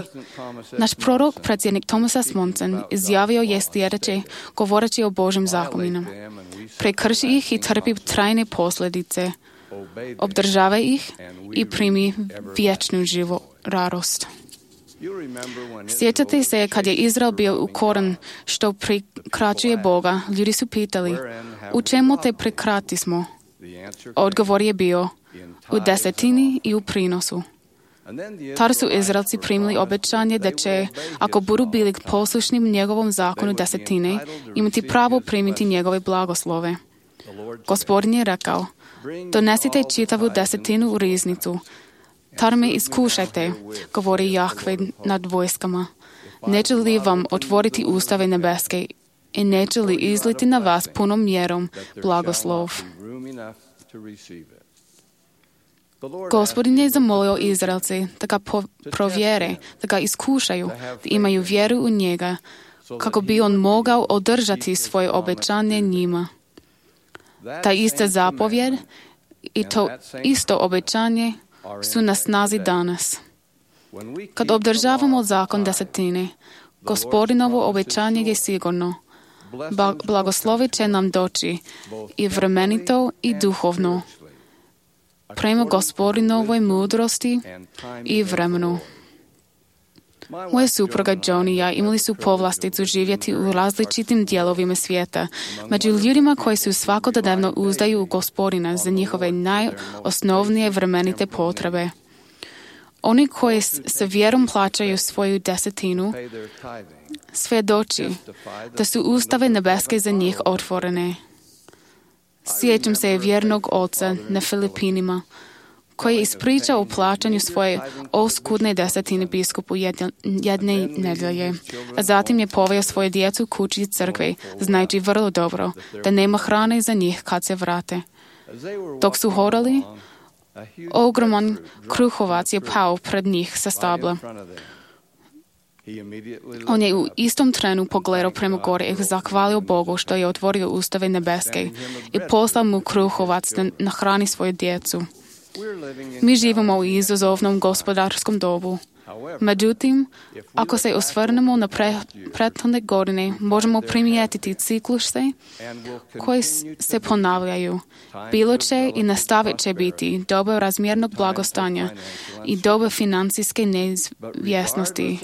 G: Naš prorok, predsjednik Thomas S. Monson, izjavio je sljedeće, govoreći o Božim zakonima. Prekrši ih i trpi trajne posljedice. Obdržavaj ih i primi vječnu živu radost. Sjećate se kad je Izrael bio ukoran što prekračuje Boga, ljudi su pitali, u čemu te prekratismo? Odgovor je bio, u desetini i u prinosu. Tada su Izraelci primili obećanje da će, ako budu bili poslušni njegovom zakonu desetine, imati pravo primiti njegove blagoslove. Gospodin je rekao, donesite čitavu desetinu u riznicu. Tada me iskušajte, govori Jahve nad vojskama. Neće li vam otvoriti ustave nebeske i neće li izliti na vas punom mjerom blagoslov? Gospodin je zamolio Izraelci da ga provjere, da ga iskušaju, da imaju vjeru u njega, kako bi on mogao održati svoje obećanje njima. Ta ista zapovjed i to isto obećanje su na snazi danas. Kad obdržavamo zakon desetine, Gospodinovo obećanje je sigurno. Blagoslovit će nam doći i vremenito i duhovno, prema Gospodinovoj mudrosti i vremenu. Moja supruga Joan i ja imali su povlasticu živjeti u različitim dijelovima svijeta, među ljudima koji su svakodnevno uzdaju u Gospodina za njihove najosnovnije vremenite potrebe. Oni koji sa vjerom plaćaju svoju desetinu, svjedoči da su ustave nebeske za njih otvorene. Sjećam se vjernog oca na Filipinima, koji je ispričao o plaćanju svoje oskudne desetine biskupu jedne nedjelje, a zatim je poveo svoje djecu kući crkve, znajući vrlo dobro da nema hrane za njih kad se vrate. Dok su hodali, ogroman kruhovac je pao pred njih sa stabla. On je u istom trenu pogledao prema gore i zahvalio Bogu što je otvorio ustave nebeske i poslao mu kruhovac da nahrani svoju djecu. Mi živimo u izazovnom gospodarskom dobu. Međutim, ako se osvrnemo na pre, prethodne godine, možemo primijetiti cikluse koji se ponavljaju. Bilo će i nastavit će biti doba razmjernog blagostanja i doba financijske neizvjesnosti.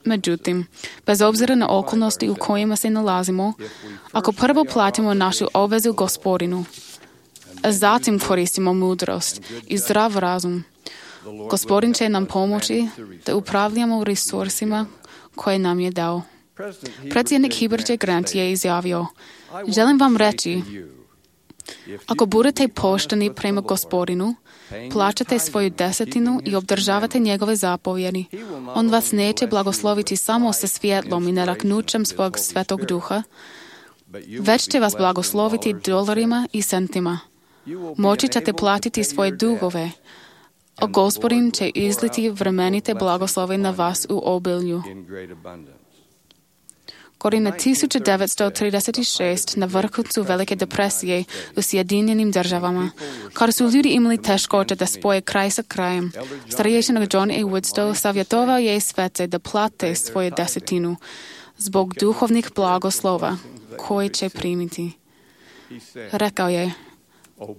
G: Međutim, bez obzira na okolnosti u kojima se nalazimo, ako prvo platimo našu obvezu Gospodinu, a zatim koristimo mudrost i zdrav razum, Gospodin će nam pomoći da upravljamo resursima koje nam je dao. Predsjednik Herbert J. Grant je izjavio, želim vam reći, ako budete pošteni prema Gospodinu, plaćate svoju desetinu i obdržavate njegove zapovjedi, on vas neće blagosloviti samo sa svjetlom i naraknućem svog svetog duha, već će vas blagosloviti dolarima i centima. Moći ćete platiti svoje dugove, a Gospodin će izliti vremenite blagoslove na vas u obilju. Godine tisuću devetsto trideset šest na vrhuncu Velike depresije u Sjedinjenim državama, kada su ljudi imali teškoće da spoje kraj sa krajem, starješina John A. Woodstow savjetovao je svece da plate svoje desetinu zbog duhovnih blagoslova koje će primiti. Rekao je,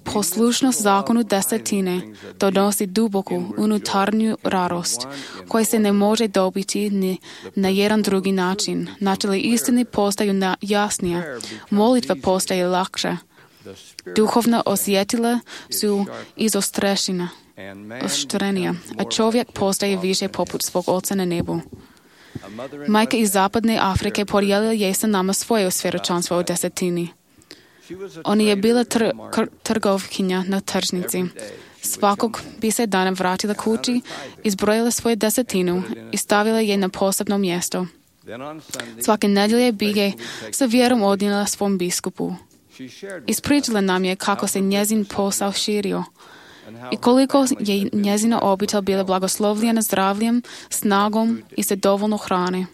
G: poslušnost zakonu desetine donosi duboku unutarnju radost, koja se ne može dobiti ni na jedan drugi način. Načeli istine postaju jasnije, molitva postaje lakša. Duhovna osjetila su izostrešena, oštrenija, a čovjek postaje više poput svog oca na nebu. Majka iz zapadne Afrike podijelila je sa nama svoje svjedočanstvo o desetini. Ona je bila tr- kr- trgovkinja na tržnici. Svakog bi se dana vratila kući, izbrojila svoju desetinu i stavila je na posebno mjesto. Svake nedjelje bi je sa vjerom odnijela svom biskupu. Ispričala nam je kako se njezin posao širio i koliko je njezina obitelj bila blagoslovljena zdravljem, snagom i sa dovoljno hrane.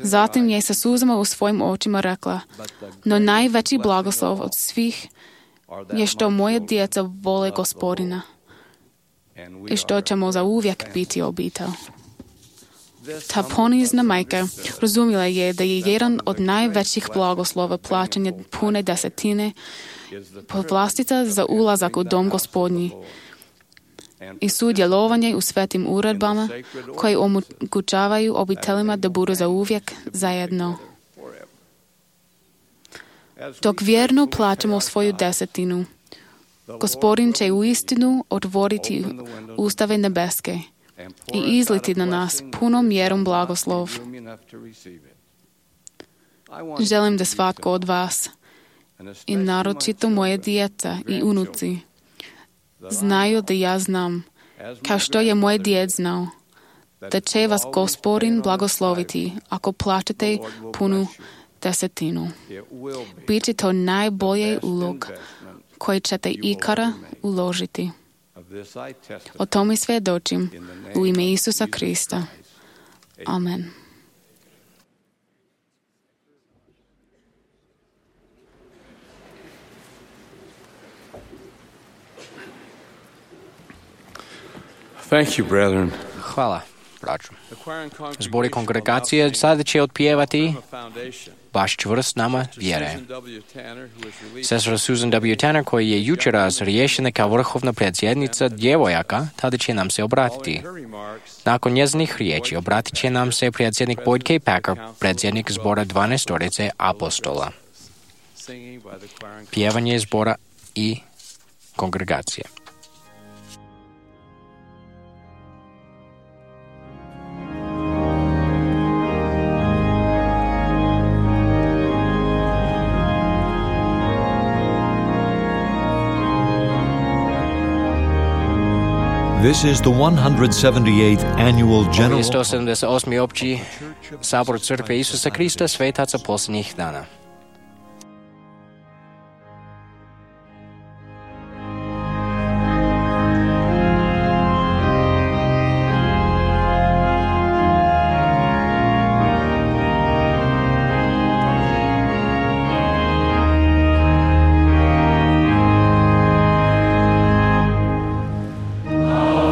G: Zatim je sa suzama u svojim očima rekla, no najveći blagoslov od svih je što moje djeca vole Gospodina i što ćemo zauvijek biti obitelj. Ta ponizna majka razumjela je da je jedan od najvećih blagoslova plaćanja pune desetine povlastica za ulazak u dom Gospodnji i sudjelovanje u svetim uredbama koje omogućavaju obiteljima da budu zauvijek zajedno. Dok vjerno plaćamo svoju desetinu, Gospodin će uistinu otvoriti ustave nebeske i izliti na nas punom mjerom blagoslov. Želim da svatko od vas, i naročito moje djeca i unuci, znaju da ja znam, kao što je moj djed znao, da će vas Gospodin blagosloviti ako plaćate punu desetinu. Biće to najbolji ulog koji ćete ikada uložiti. O tome svjedočim u ime Isusa Krista. Amen.
E: Thank you, brethren.
B: Hvala, braću. Zbori kongregacije sada će otpjevati baš čvrst nama vjere. Sestra Susan W. Tanner, koji je jučer razriješena kao vrhovna predsjednica djevojaka, tada će nam se obratiti. Nakon njezinih riječi obratit će nam se predsjednik Boyd K. Packer, predsjednik zbora dvanaestorice apostola. Pjevanje zbora i kongregacije.
A: This is the one hundred seventy-eighth annual general...
B: Ovo je sto sedamdeset osmi opći sabor crkve Isusa Krista svetaca posljednjih dana.
H: Oh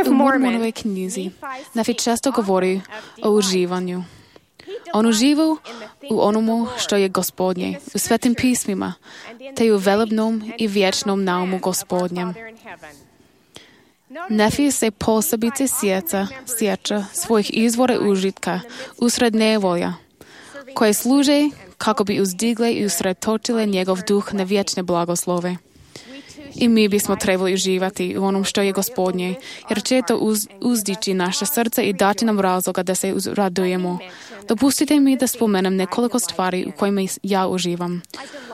G: U Mormonovoj knjizi Nefi često govori o uživanju. On uživa u onomu što je Gospodnje, u svetim pismima, te u velebnom i vječnom naumu Gospodnjem. Nefi se posebice sjeća, sjeća svojih izvora užitka usred nevolja, koje služe kako bi uzdigle i usredotočile njegov duh na vječne blagoslove. I mi bismo trebali uživati u onom što je Gospodnje, jer će to uz, uzdići naše srce i dati nam razloga da se radujemo. Dopustite mi da spomenem nekoliko stvari u kojima ja uživam.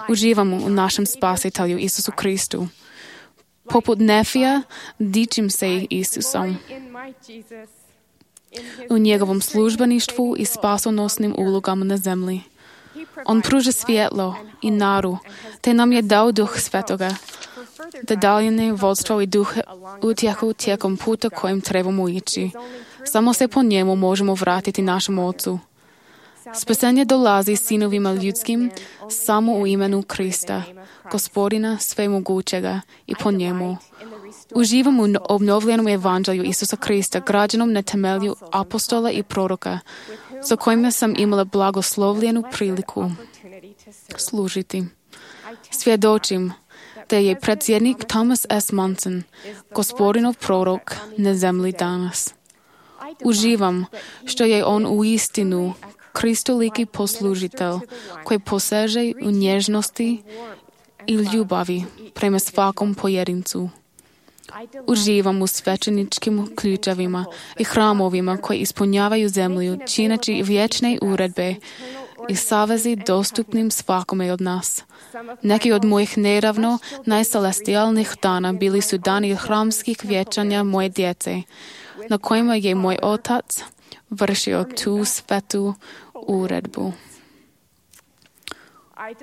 G: Uživam u našem Spasitelju Isusu Kristu. Poput Nefija, dičim se Isusom. U njegovom službeništvu i spasonosnim ulogama na zemlji. On pruža svjetlo i naru, te nam je dao duh svetoga, da daljine vodstvo i duh utjehu tijekom puta kojim trebamo ići. Samo se po njemu možemo vratiti našem Ocu. Spasenje dolazi sinovima ljudskim samo u imenu Krista, Gospodina svemogućega, i po njemu. Uživam u obnovljenom evanđelju Isusa Krista, građenom na temelju apostola i proroka, za kojima sam imala blagoslovljenu priliku služiti. Svjedočim da je predsjednik Thomas S. Monson, Gospodinov prorok na zemlji danas. Uživam što je on u istinu kristoliki poslužitelj koji poseže u nježnosti i ljubavi prema svakom pojedincu. Uživam u svećeničkim ključevima i hramovima koji ispunjavaju zemlju, čineći vječne uredbe i savezi dostupnim svakome od nas. Neki od mojih nedavno najcelestijalnih dana bili su dani hramskih vječanja moje djece, na kojima je moj otac vršio tu svetu uredbu.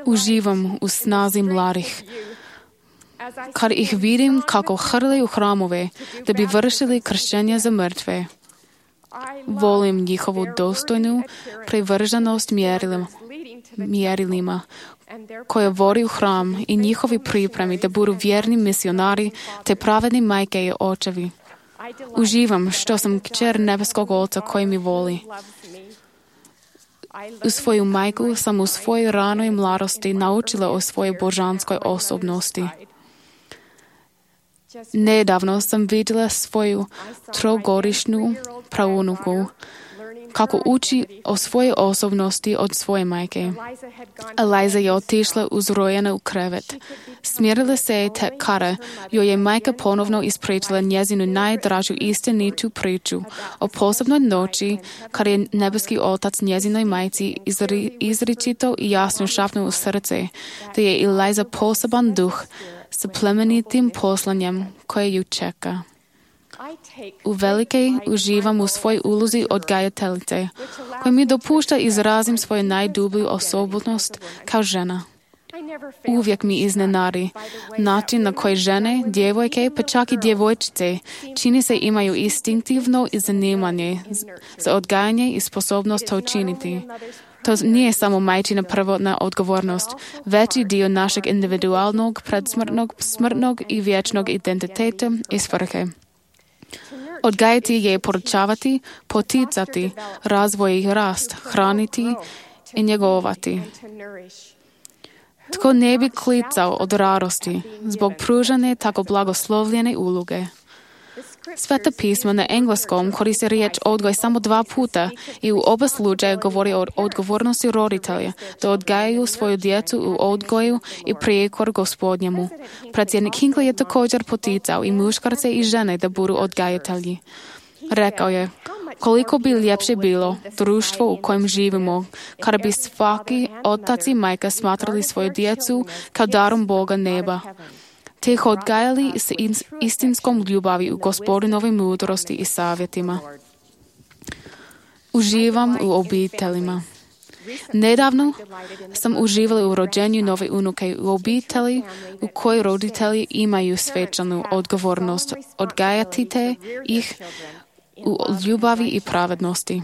G: Uživam u snazi mladih, kad ih vidim kako hrle u hramove da bi vršili kršćenje za mrtve. Volim njihovu dostojnu privrženost mjerilima, mjerilima koje vodi u hram i njihovi pripremi da budu vjerni misionari te pravedni majke i očevi. Uživam što sam kćer nebeskog Oca koji mi voli. U svoju majku sam u svojoj ranoj mladosti naučila o svojoj božanskoj osobnosti. Nedavno sam vidjela svoju trogodišnju praunuku kako uči o svojoj osobnosti od svoje majke. Eliza je otišla uzrojena u krevet. Smjerila se je tek kada joj je majka ponovno ispričala njezinu najdražu istinitu priču o posebnoj noći kada je nebeski Otac njezinoj majci izri, izričito i jasno šapnuo u srce da je Eliza poseban duh sa plemenitim poslanjem koje ju čeka. U velike uživam u svojoj ulozi odgajateljice, koja mi dopušta izrazim svoju najdublju osobnost kao žena. Uvijek mi iznenadi način na koji žene, djevojke, pa čak i djevojčice čini se imaju instinktivno zanimanje za odgajanje i sposobnost to učiniti. To nije samo majčina prvotna odgovornost, veći dio našeg individualnog, predsmrtnog, smrtnog i vječnog identiteta i svrhe. Odgajati je poručavati, poticati, razvoj i rast, hraniti i njegovati. Tko ne bi klicao od radosti zbog pružane tako blagoslovljene uloge. Sveta pisma na engleskom koristi riječ odgoj samo dva puta i u oba slučaja govori o odgovornosti roditelja da odgajaju svoju djecu u odgoju i prijekor Gospodnjemu. Predsjednik Hinckley je također poticao i muškarce i žene da budu odgajatelji. Rekao je, koliko bi ljepše bilo društvo u kojem živimo, kada bi svaki otac i majka smatrali svoju djecu kao darom Boga neba, te ih odgajali s istinskom ljubavi u Gospodinovoj mudrosti i savjetima. Uživam u obiteljima. Nedavno sam uživala u rođenju nove unuke u obitelji u kojoj roditelji imaju svečanu odgovornost odgajati te ih u ljubavi i pravednosti.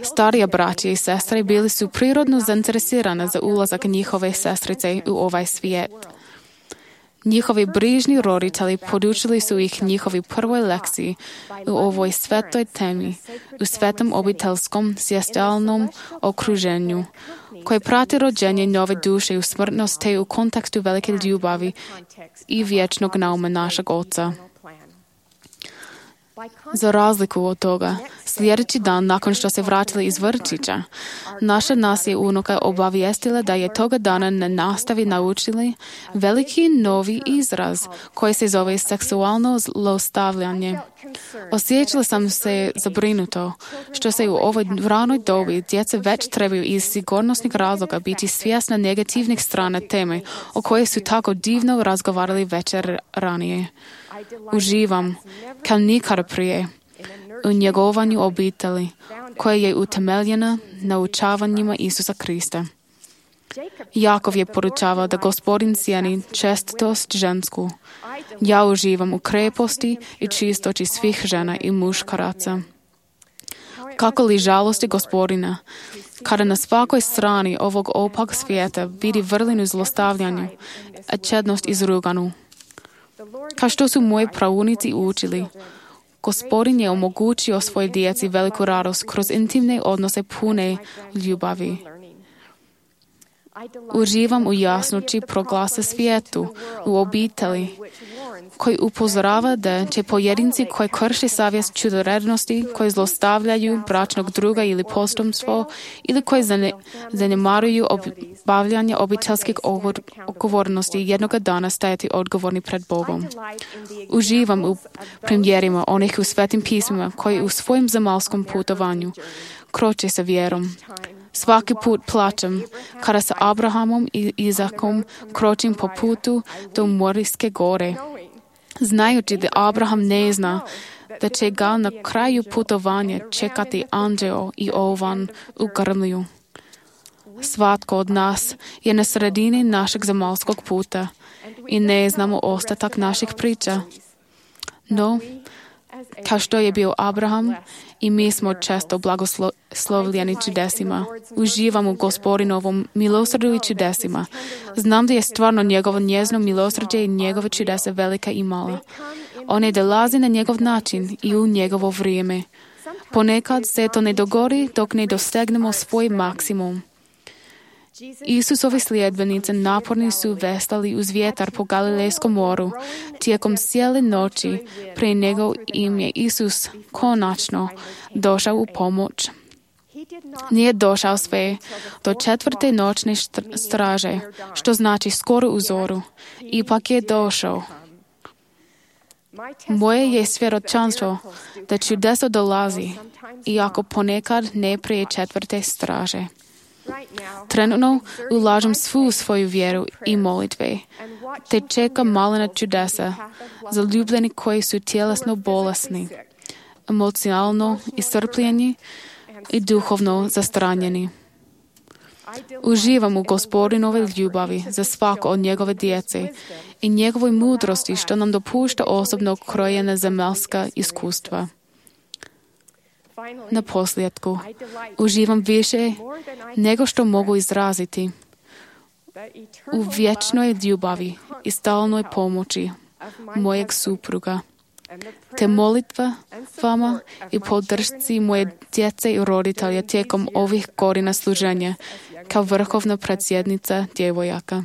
G: Starija braća i sestre bili su prirodno zainteresirane za ulazak njihove sestrice u ovaj svijet. Njihovi brižni roditelji podučili su ih njihovi prvoj lekciji u ovoj svetoj temi, u svetom obiteljskom svjestalnom okruženju, koje prati rođenje nove duše u smrtnost te u kontekstu velike ljubavi i vječnog nauma našeg Oca. Za razliku od toga, sljedeći dan nakon što se vratili iz vrtića, naša nas je unuka obavijestila da je toga dana na nastavi naučili veliki novi izraz koji se zove seksualno zlostavljanje. Osjećala sam se zabrinuto što se u ovoj ranoj dobi djeca već trebaju iz sigurnosnih razloga biti svjesna negativnih strana teme o kojoj su tako divno razgovarali večer ranije. Uživam, kao nikada prije, u njegovanju obitelji, koja je utemeljena na učavanjima Isusa Krista. Jakov je poručavao da Gospodin cijeni čestitost žensku. Ja uživam u kreposti i čistoći svih žena i muškaraca. Kako li žalosti Gospodina, kada na svakoj strani ovog opak svijeta vidi vrlinu zlostavljanju, a čednost izruganu. Kao što su moji praunici učili, Gospodin je omogućio svoj djeci veliku radost kroz intimne odnose pune ljubavi. Uživam u jasnoći proglasa svijetu, u obitelji, koji upozorava da će pojedinci koji krše savjest čudorednosti, koji zlostavljaju bračnog druga ili potomstvo, ili koji zanemaruju obavljanje obiteljskih odgovornosti jednoga dana stajati odgovorni pred Bogom. Uživam u primjerima onih u svetim pismima koji u svojim zemaljskom putovanju kroče sa vjerom. Svaki put plačem kada sa Abrahamom i Izakom kročim po putu do Morijske gore, znajući da Abraham ne zna da će ga na kraju putovanja čekati anđeo i ovan u grmlju. Svatko od nas je na sredini našeg zemaljskog puta i ne znamo ostatak naših priča. No, kao što je bio Abraham, i mi smo često blagoslovljeni čudesima. Uživam u Gospodinovom milosrđu i čudesima. Znam da je stvarno njegovo njezno milosrđe i njegove čudesa velika i mala. One dolazi na njegov način i u njegovo vrijeme. Ponekad se to ne dogodi dok ne dosegnemo svoj maksimum. Isusovi sljedbenici naporni su vestali uz vjetar po Galilejskom moru. Tijekom cijele noći prije nego im je Isus konačno došao u pomoć. Nije došao sve do četvrte noćne straže, što znači skoro u zoru. Ipak je došao. Moje je svjedočanstvo da čudeso dolazi, iako ponekad ne prije četvrte straže. Trenutno ulažem svu svoju vjeru i molitve, te čekam malena čudesa za ljubljeni koji su tjelesno bolesni, emocionalno iscrpljeni i duhovno zastranjeni. Uživam u Gospodinove ljubavi za svako od njegove djece i njegovoj mudrosti što nam dopušta osobno krojena zemaljska iskustva. Na posljedku, uživam više nego što mogu izraziti u vječnoj ljubavi i stalnoj pomoći mojeg supruga, te molitva vama i podršci moje djece i roditelja tijekom ovih godina služenja kao vrhovna predsjednica djevojaka.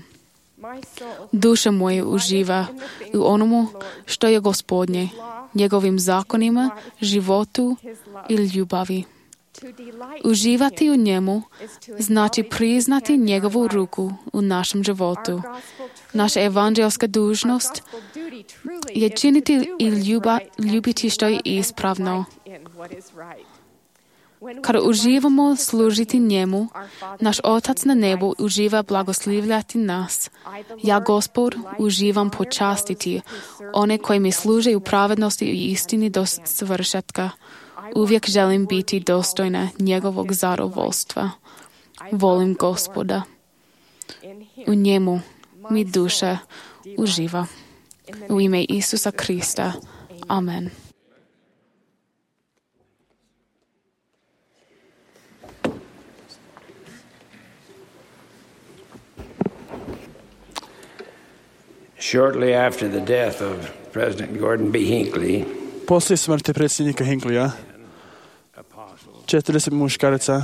G: Duša moja uživa u onomu što je Gospodnje, njegovim zakonima, životu i ljubavi. Uživati u njemu znači priznati njegovu ruku u našem životu. Naša evanđelska dužnost je činiti i ljuba, ljubiti što je ispravno. Kada uživamo služiti njemu, naš Otac na nebu uživa blagoslivljati nas. Ja, Gospod, uživam počastiti one koji mi služe u pravednosti i istini do svršetka. Uvijek želim biti dostojna njegovog zadovoljstva. Volim Gospoda. U njemu mi duša uživa. U ime Isusa Krista. Amen.
H: Shortly after the death of President Gordon B. Hinckley,
I: poslije smrti predsjednika Hinkleya, četrdeset muškaraca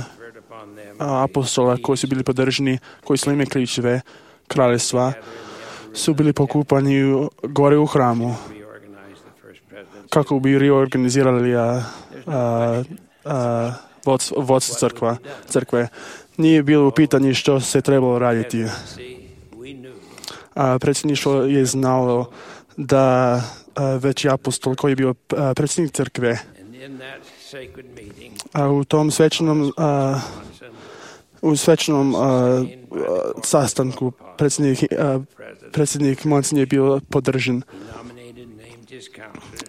I: apostola koji su bili podržani, koji su ime ključeve kraljevstva, su bili pokupani gore u hramu kako bi reorganizirali a, a, a, vodstvo, vodstvo crkva, crkve. Nije bilo u pitanju što se trebalo raditi. A, predsjedništvo je znalo da a, veći apostol koji je bio a, predsjednik crkve, a u tom svečanom a, u svečanom a, sastanku predsjednik, a, predsjednik Monsen je bio podržan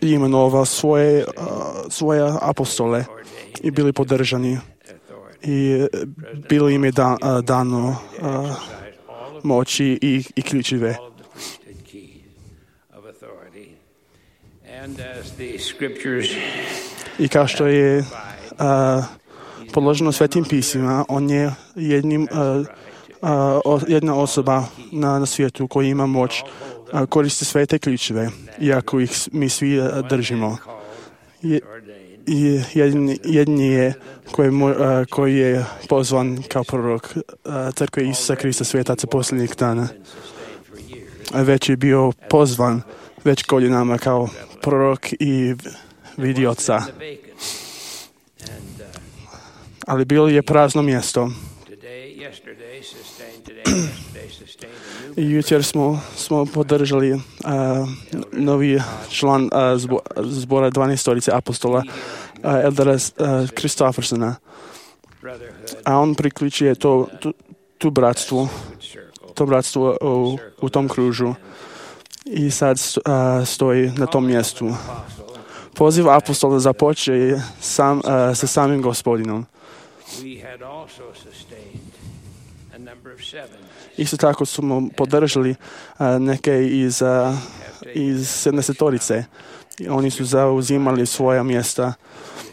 I: i imenovao svoje, a, svoje apostole i bili podržani i bilo im je da, a, dano a, moći i, i ključeve. I kao što je a, podloženo svetim pismima, on je jednim, a, a, o, jedna osoba na, na svijetu koja ima moć a, koristi sve te ključeve, iako ih mi svi a, držimo. Je, i jedni, jedni je koji, a, koji je pozvan kao prorok a, crkve Isusa Krista svetaca posljednjih dana. A već je bio pozvan već godinama kao prorok i vidioca. Ali bilo je prazno mjesto. I jučer smo, smo podržali uh, novi član uh, zbo, zbora dvanaestorice apostola uh, Eldara uh, Kristoffersona. A on priključuje to, tu, tu bratstvu, to bratstvo u, u tom kružu. I sad uh, stoji na tom mjestu. Poziv apostola započeje sam, uh, sa samim Gospodinom. Isto tako smo podržali uh, neke iz, uh, iz sedamdesetorice. Oni su zauzimali svoja mjesta.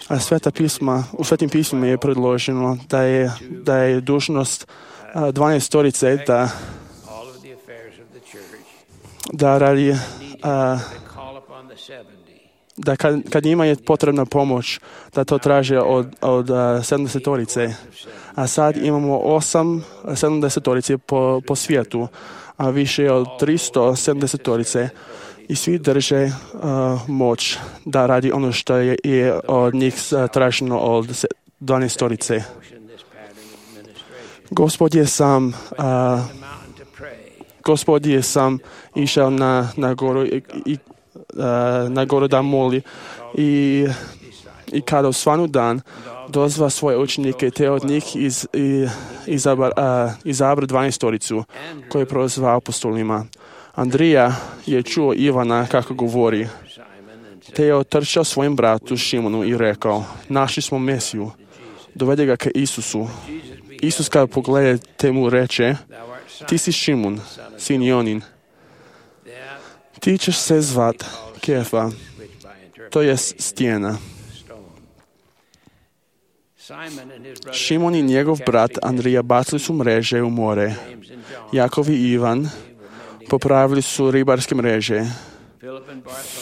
I: A sveta pisma, u svetim pismima je predloženo da je, da je dužnost uh, dvanaestorice da da radi uh, da kad, kad njima je potrebna pomoć, da to traže od, od uh, sedamdesetorice. A sad imamo osam sedamdesetorice po, po svijetu, a više od tristo sedamdesetorice i svi drže uh, moć da radi ono što je, je od njih traženo od dvanaestorice. Gospod je sam uh, Gospod je sam išao na, na goru i, i uh, na goru da moli i, i kada osvanu dan dozva svoje učenike te od njih iz, i, izabar, uh, izabra dvanaestoricu koju je prozvao apostolima. Andrija je čuo Ivana kako govori, te je otrčao svojim bratu Šimonu i rekao: našli smo Mesiju, dovede ga ka Isusu. Isus kada pogleda te mu reče: ti si Šimun, sin Jonin. Ti ćeš se zvat Kefa, to je stijena. Šimon i njegov brat Andrija bacili su mreže u more. Jakov i Ivan popravili su ribarske mreže.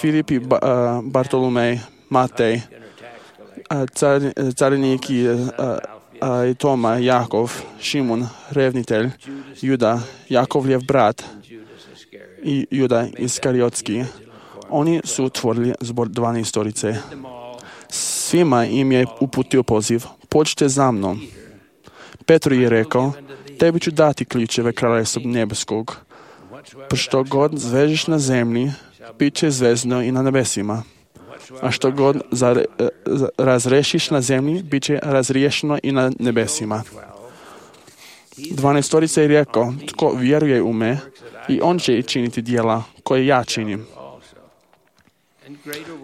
I: Filip i ba, uh, Bartolomej, Matej, uh, car, carinik i uh, uh, i Toma, Jakov, Šimon, revnitelj, Juda, Jakovljev brat i Juda Iskariotski. Oni su otvorili zbor dvanaestorice. Svima im je uputio poziv: pođite za mnom. Petru je rekao: tebi ću dati ključeve kraljevstva nebeskog. Pa što god zvežeš na zemlji, bit će zvezno i na nebesima. A što god zare, razrešiš na zemlji, bit će razriješeno i na nebesima. Dvanaestorica je rekao: tko vjeruje u me, i on će činiti djela koje ja činim.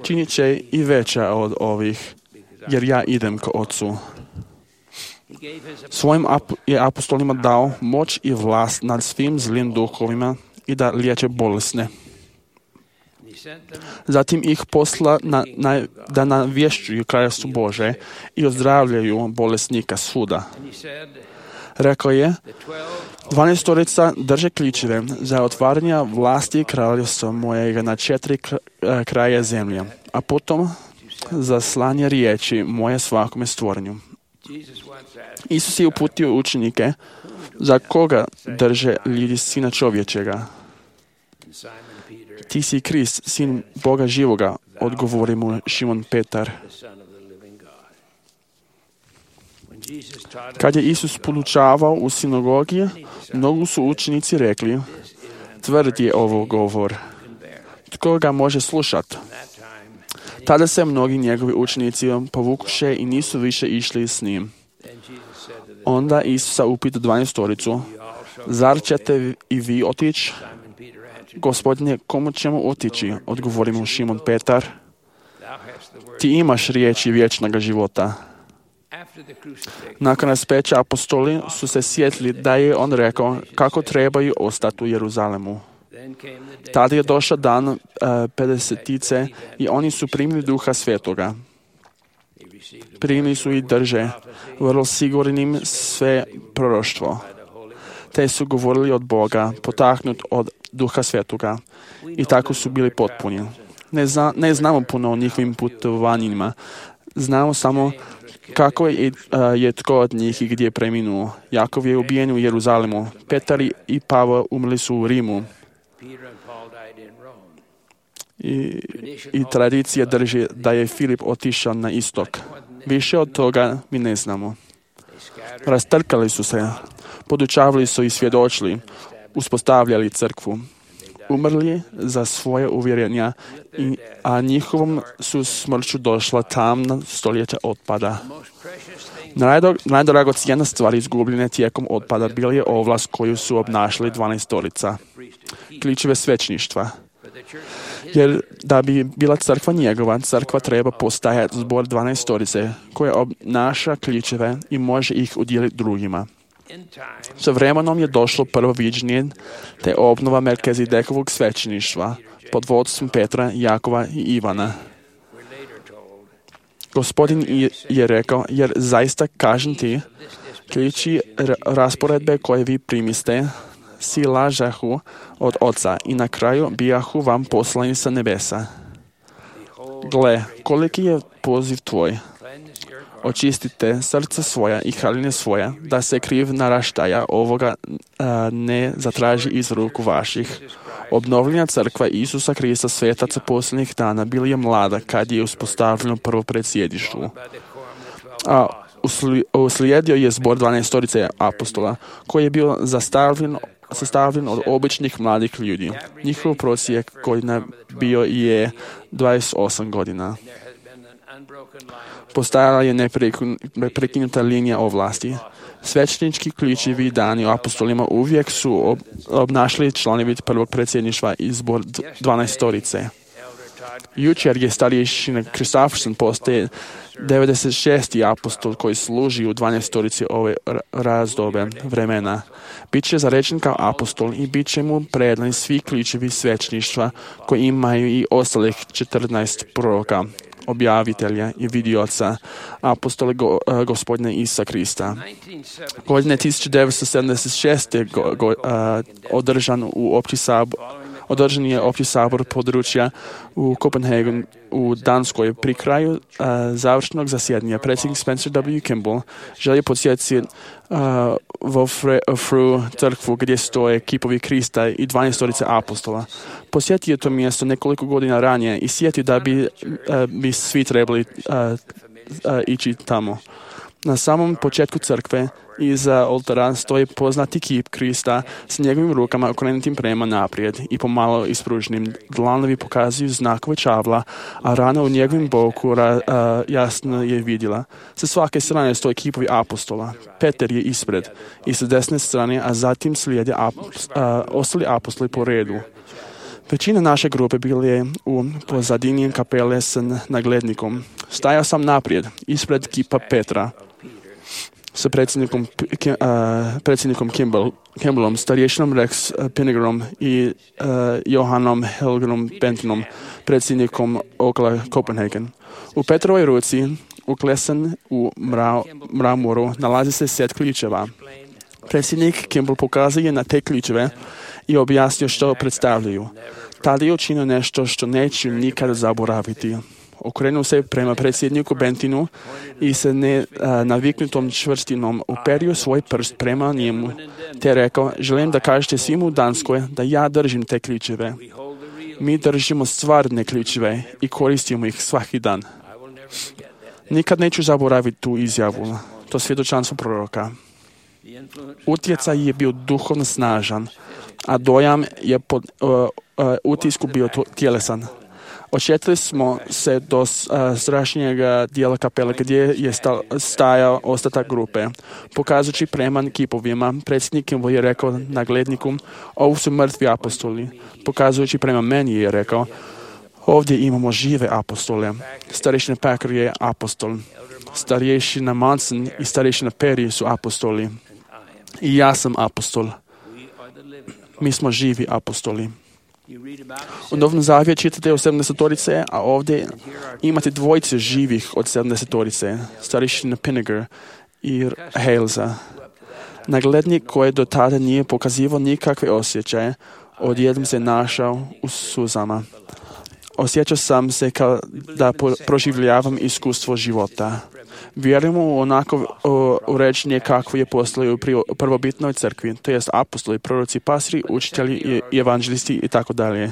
I: Činit će i veća od ovih, jer ja idem k Otcu. Svojim ap- je apostolima dao moć i vlast nad svim zlim duhovima i da liječe bolesne. Zatim ih posla na, na, da navješćuju kraljevstvo Bože i ozdravljaju bolesnika svuda. Rekao je, dvanaestorica drže ključeve za otvaranje vlasti kraljevstva mojega na četiri kraja zemlje, a potom za slanje riječi moje svakome stvorenju. Isus je uputio učenike za koga drže ljudi sina čovječega. Ti si Krist, sin Boga živoga, odgovori mu Šimon Petar. Kad je Isus podučavao u sinagogi, mnogo su učenici rekli, tvrd je ovo govor. Tko ga može slušati? Tada se mnogi njegovi učenici povukuše i nisu više išli s njim. Onda Isusa upita dvanaestoricu, zar ćete i vi otići? Gospodine, komu ćemo otići? Odgovori mu Šimon Petar. Ti imaš riječi vječnog života. Nakon raspeća apostoli su se sjetili da je on rekao kako trebaju ostati u Jeruzalemu. Tada je došao dan uh, pedesetice i oni su primili Duha Svetoga. Primili su i drže vrlo sigurnim sve proroštvo. Te su govorili od Boga, potaknut od Duha Svetoga. I tako su bili potpuni. Ne, zna, ne znamo puno o njihovim putovanjima. Znamo samo kako je, uh, je tko od njih i gdje je preminuo. Jakov je ubijen u Jeruzalemu. Petar i Pavao umrli su u Rimu. I, i tradicija drži da je Filip otišao na istok. Više od toga mi ne znamo. Rastrkali su se, podučavali su i svjedočili, uspostavljali crkvu. Umrli za svoje uvjerenja, i, a njihovom su smrću došla tamna stoljeća otpada. Najdragocjenija stvar izgubljene tijekom otpada bila je ovlast koju su obnašali dvanaestorica, ključeve svećništva. Jer da bi bila crkva njegova, crkva treba postajati zbor dvanaestorice koja obnaša ključeve i može ih udjeliti drugima. Sa vremenom je došlo prvo viđenje te obnova Melkizedekovog svećeništva pod vodstvom Petra, Jakova i Ivana. Gospodin je rekao, jer zaista kažem ti, ključi rasporedbe koje vi primiste, si lažahu od Oca i na kraju bijahu vam poslani sa nebesa. Gle, koliki je poziv tvoj. Očistite srca svoja i haline svoja, da se kriv naraštaja ovoga a, ne zatraži iz ruku vaših. Obnovljena crkva Isusa Krista svetaca posljednjih dana bila je mlada kad je uspostavljeno prvo predsjedištvo. A uslijedio je zbor dvanaestorice apostola, koji je bio zastavljen sastavljen od običnih mladih ljudi. Njihov prosjek godina bio je dvadeset osam godina. Postajala je neprekinuta linija ovlasti. Svećnički ključevi dani apostolima uvijek su obnašali članovi prvog predsjedništva i zbor dvanaestorice. Jučer je starješina Kristofferson postaje devedeset šesti apostol koji služi u dvanaestorici ove razdobe vremena. Biće zarečen kao apostol i bit će mu predani svi ključevi svećništva koji imaju i ostalih četrnaest proroka, objavitelja i vidioca apostole go, uh, gospodina Isusa Krista. Godine tisuće devetsto sedamdeset šeste go, go, uh, održan u opći sabor Održan je opći sabor područja u Kopenhagenu u Danskoj. Pri kraju uh, završnog zasjedanja predsjednik Spencer W. Kimball želi podsjetiti uh, vo Fru crkvu gdje stoje kipovi Krista i dvanaestorice apostola. Posjetio je to mjesto nekoliko godina ranije i sjeti da bi, uh, bi svi trebali uh, uh, ići tamo. Na samom početku crkve iza oltara stoji poznati kip Krista s njegovim rukama okrenutim prema naprijed i pomalo ispruženim. Dlanovi pokazuju znakove čavla, a rana u njegovim boku ra, a, jasno je vidjela. Sa svake strane stoji kipovi apostola. Petar je ispred i sa desne strane, a zatim slijede ap, a, ostali apostoli po redu. Većina naše grupe bila je u pozadini kapele s naglednikom. Stajao sam naprijed, ispred kipa Petra, sa predsjednikom, uh, predsjednikom Kimball, Kimballom, starješinom Rex Pinnegarom i uh, Johanom Helgenom Bentonom, predsjednikom okolo Copenhagen. U Petrovoj ruci, uklesan u mra, mramoru, nalazi se set ključeva. Predsjednik Kimball pokazao je na te ključeve i objasnio što predstavljaju. Tada je učinio nešto što neću nikada zaboraviti. Okrenuo se prema predsjedniku Bentinu i se ne a, naviknutom čvrstinom uperio svoj prst prema njemu, te rekao, želim da kažete svim u Danskoj da ja držim te ključeve. Mi držimo stvarne ključeve i koristimo ih svaki dan. Nikad neću zaboraviti tu izjavu, to svjedočanstvo proroka. Utjecaj je bio duhovno snažan, a dojam je pod uh, uh, utisku bio tjelesan. Očetili smo se do uh, strašnjeg dijela kapele gdje je sta, stajao ostatak grupe. Pokazujući prema kipovima, predsjednik je rekao na gledniku, ovo su mrtvi apostoli. Pokazujući prema meni je rekao, ovdje imamo žive apostole. Starješina Packer je apostol. Starješina Manson i starješina Perry su apostoli. I ja sam apostol. Mi smo živi apostoli. U Novom Zavjetu čitate o sedamdesetorice, a ovdje imate dvojice živih od sedamdesetorice, starješina Pinnegar i Halesa. Naglednik koji do tada nije pokazivao nikakve osjećaje, odjednom se našao u suzama. Osjećao sam se kao da proživljavam iskustvo života. Vjerujemo u onako uređenje kakvo je postalo u prvobitnoj crkvi, to jest apostoli, proroci, pastori, učitelji i evanđelisti i tako dalje.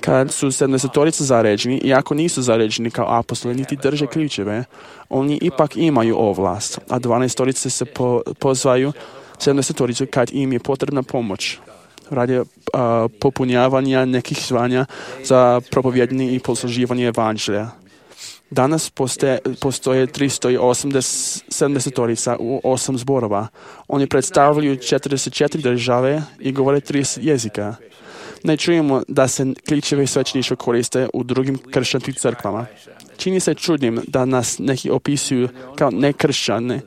I: Kad su sedamdesetorica zaređeni, iako nisu zaređeni kao apostoli, niti drže ključeve, oni ipak imaju ovlast, a dvanaestorice se po, pozvaju sedamdesetoricu kad im je potrebna pomoć radi uh, popunjavanja nekih zvanja za propovjedanje i posluživanje evanđelja. Danas postoje, postoje tristo osamdeset sedamdesetorica u osam zborova. Oni predstavljaju četrdeset četiri države i govore trideset jezika. Ne čujemo da se ključevi svećeništva koriste u drugim kršćanskim crkvama. Čini se čudnim da nas neki opisuju kao nekršćane,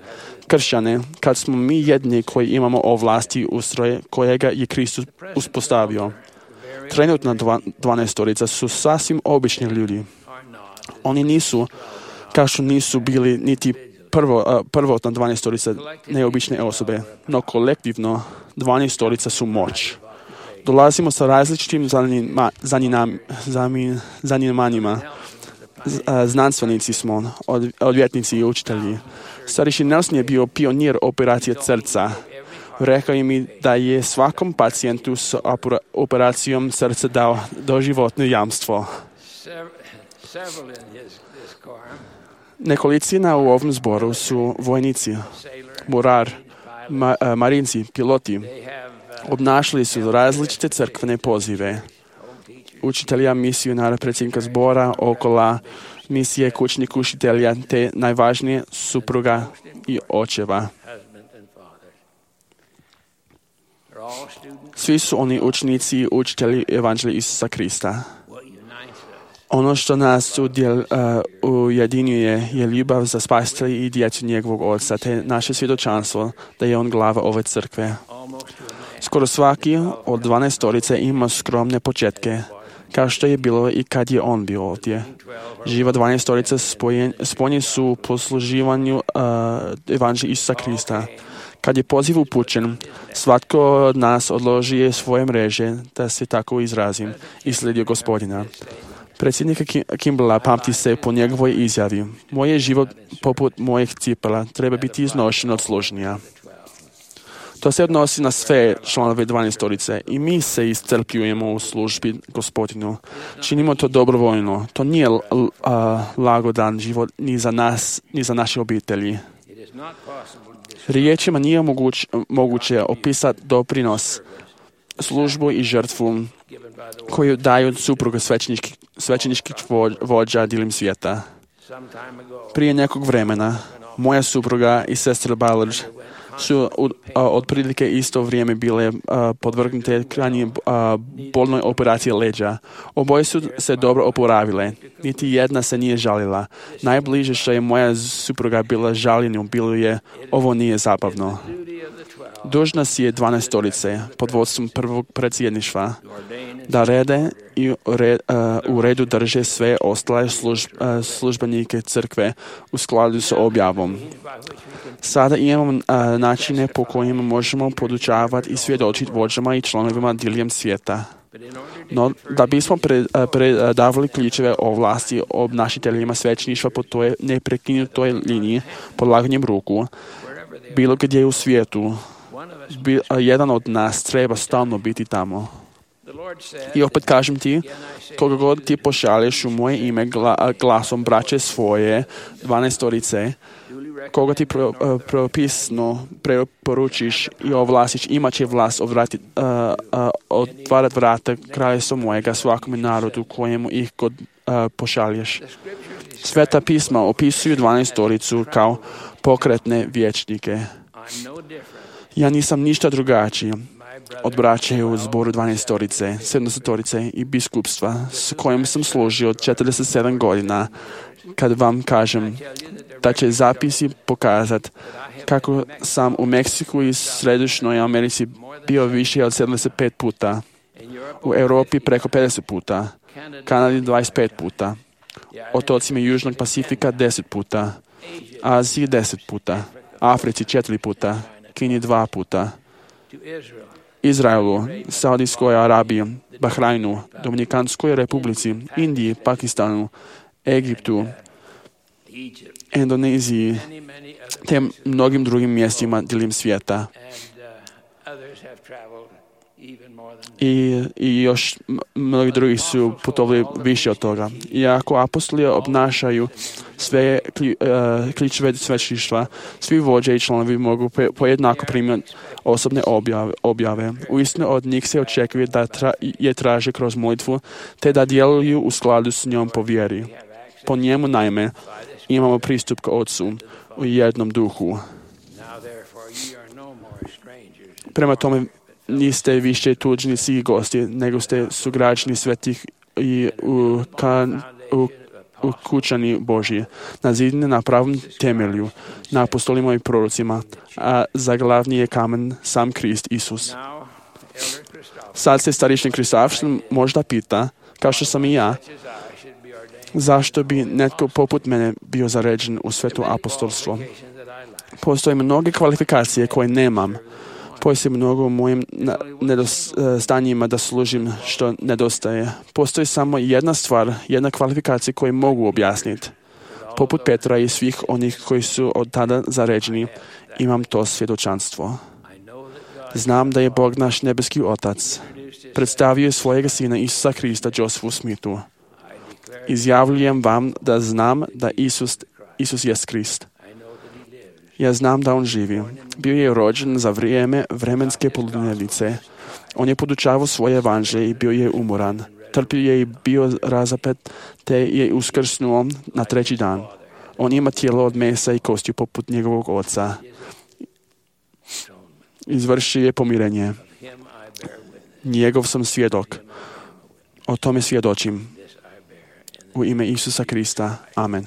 I: kršćane, kad smo mi jedni koji imamo ovlasti ustroje kojega je Kristus uspostavio. Trenutna dva, dvanaestorica su sasvim obični ljudi. Oni nisu, kao što nisu bili niti prvo, uh, prvotna dvanaestorica neobične osobe, no kolektivno dvanaestorica su moć. Dolazimo sa različitim zanima, zaninam, zamin, zanimanjima. Z, uh, znanstvenici smo, od, odvjetnici i učitelji. Starješin Nelson je bio pionir operacije srca. Rekao je mi da je svakom pacijentu s operacijom srca dao doživotno jamstvo. Nekolicina u ovom zboru su vojnici, morar, ma, marinci, piloti. Obnašali su različite crkvene pozive. Učitelja, misionara, predsjednika zbora, okola, misije, kućnih učitelja, te najvažnije supruga i očeva. Svi su oni učenici i učitelji evanđelja Isusa Krista. Ono što nas udjel, uh, ujedinjuje je ljubav za spasitelja i djecu njegovog oca, te naše svjedočanstvo da je on glava ove crkve. Skoro svaki od dvanaestorice ima skromne početke, kao što je bilo i kad je on bio ovdje. Živa dvanaestorica spojeni su u posluživanju uh, evanđelja Isusa Krista. Kad je poziv upućen, svatko od nas odloži svoje mreže, da se tako izrazim, i slijedio Gospodina. Predsjednika Kimballa pamti se po njegovoj izjavi. Moj je život poput mojih cipela, treba biti iznošen od služnija. To se odnosi na sve članove dvanaestorice i mi se iscrpljujemo u službi Gospodinu. Činimo to dobrovoljno. To nije l- l- a, lagodan život ni za nas, ni za naše obitelji. Riječima nije moguć, moguće opisati doprinos, službu i žrtvu koju daju supruge svećeničkih, svećeničkih vođa diljem svijeta. Prije nekog vremena moja supruga i sestra Ballard su uh, otprilike isto vrijeme bile uh, podvrgnute krajnje uh, bolnoj operaciji leđa. Oboje su se dobro oporavile. Niti jedna se nije žalila. Najbliže što je moja supruga bila žaljenju bilo je ovo nije zabavno. Dužna si je dvanaestorice pod vodstvom prvog predsjedništva da rede i u redu drže sve ostale služ, službenike crkve u skladu s objavom. Sada imamo načine po kojima možemo podučavati i svjedočiti vođama i članovima diljem svijeta. No, da bismo predavali ključeve o vlasti obnašiteljima svećeništva po toj neprekinutoj liniji polaganjem ruku, bilo gdje u svijetu, jedan od nas treba stalno biti tamo. I opet kažem ti, koga god ti pošalješ u moje ime glasom braće svoje, dvanaestorice, koga ti pro, uh, propisno preporučiš i ovlastiš, imat će vlast odvrati, uh, uh, otvarat vrata kraljevstva mojega svakome narodu kojemu ih god uh, pošalješ. Sveta pisma opisuju dvanaestoricu kao pokretne vječnike. Ja nisam ništa drugačiji od braće u zboru dvanaestorice, sedamdesetorice i biskupstva s kojim sam služio od četrdeset sedam godina, kad vam kažem da će zapisi pokazati kako sam u Meksiku i Središnjoj Americi bio više od sedamdeset pet puta, u Europi preko pedeset puta, Kanadi dvadeset pet puta, otocima Južnog Pacifika deset puta, Aziji deset puta, Africi četiri puta, Kini dva puta, Izraelu, Saudijskoj Arabiji, Bahrajnu, Dominikanskoj Republici, Indiji, Pakistanu, Egiptu, Indoneziji, te mnogim drugim mjestima diljem svijeta. I, i još mnogi drugi su putovali više od toga. Iako apostoli obnašaju sve ključeve svećeništva, svi vođe i članovi mogu pojednako primiti osobne objave. objave. Uistinu od njih se očekuje da tra, je traže kroz molitvu, te da djeluju u skladu s njom po vjeri. Po njemu naime imamo pristup k Otcu u jednom duhu. Prema tome, niste više tuđnici i gosti, nego ste sugrađani svetih i ukućani Božji, nazidani na pravom temelju, na apostolima i prorocima, a za glavni je kamen sam Krist Isus. Sad se starešni Kristavštin možda pita, kao što sam i ja, zašto bi netko poput mene bio zaređen u sveto apostolstvo. Postoje mnoge kvalifikacije koje nemam. Postoji mnogo u mojim nedostanjima da služim što nedostaje. Postoji samo jedna stvar, jedna kvalifikacija koju mogu objasniti. Poput Petra i svih onih koji su od tada zaređeni, imam to svjedočanstvo. Znam da je Bog naš nebeski Otac predstavio svojega Sina Isusa Krista Josefu Smithu. Izjavljujem vam da znam da Isus, Isus je Krist. Ja znam da on živi. Bio je rođen za vrijeme vremenske poludnevnice. On je podučavao svoje evanđelje i bio je umoran. Trpio je i bio razapet, te je uskrsnuo na treći dan. On ima tijelo od mesa i kostiju poput njegovog oca. Izvršio je pomirenje. Njegov sam svjedok. O tome svjedočim. U ime Isusa Krista. Amen.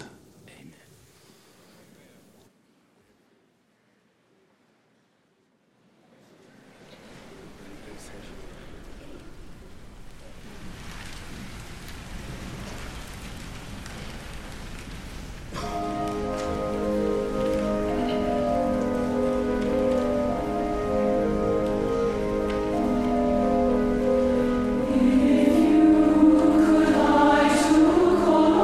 J: If you could I to call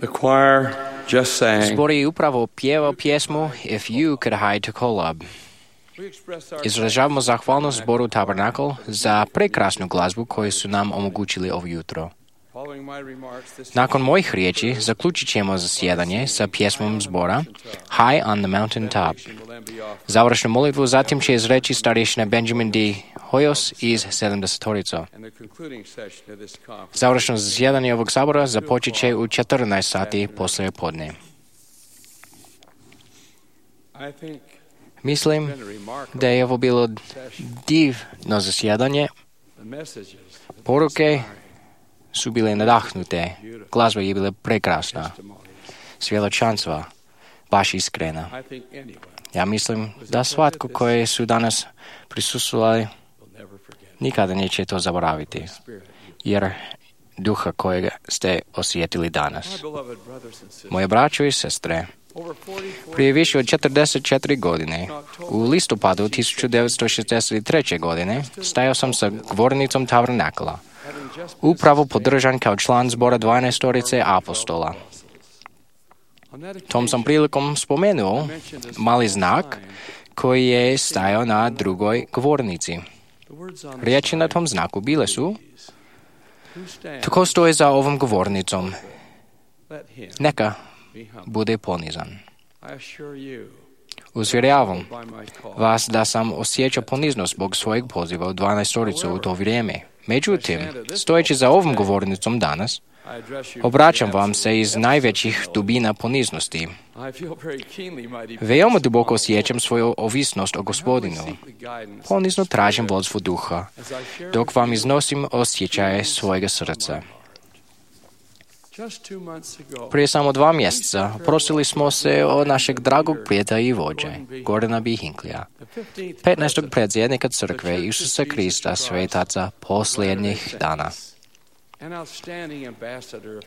E: The choir just sang.
B: Zbor je upravo pjevao pjesmu If You Could Hide to Kolob. Izražavamo zahvalnost zboru Tabernakl za prekrasnu glazbu koju su nam omogućili ovo jutro. Nakon mojih riječi zaključit ćemo zasjedanje sa pjesmom zbora High on the Mountain Top. Završnu molitvu zatim će izreći starješina Benjamin D. Hoyos iz sedamdesetorico. Završno zasjedanje ovog sabora započet će u četrnaest sati poslije podne. Mislim da je ovo bilo divno zasjedanje. Poruke su bile nadahnute, glazba je bila prekrasna, svjedočanstva baš iskrena. Ja mislim da svatko koji su danas prisustvovali nikada neće to zaboraviti, jer duha kojega ste osjetili danas. Moje braćo i sestre, prije više od četrdeset četiri godine, u listopadu tisuću devetsto šezdeset treće. godine, stajao sam sa govornicom Tabernakla, upravo podržan kao član zbora dvanaestorice apostola. Tom sam prilikom spomenuo mali znak koji je stajao na drugoj govornici. Riječi na tom znaku bile su: tko stoji za ovom govornicom, neka bude ponizan. Uvjeravam vas da sam osjećao poniznost zbog svojeg poziva u dvanaestoricu u to vrijeme. Međutim, stojeći za ovom govornicom danas, obraćam vam se iz najvećih dubina poniznosti. Veoma duboko osjećam svoju ovisnost o Gospodinu. Ponizno tražim vodstvo duha, dok vam iznosim osjećaje svojega srca. Prije samo dva mjeseca prosili smo se od našeg dragog prijatelja i vođe, Gordona B. Hinklija, petnaestog predsjednika crkve Isusa Krista svetaca posljednjih dana.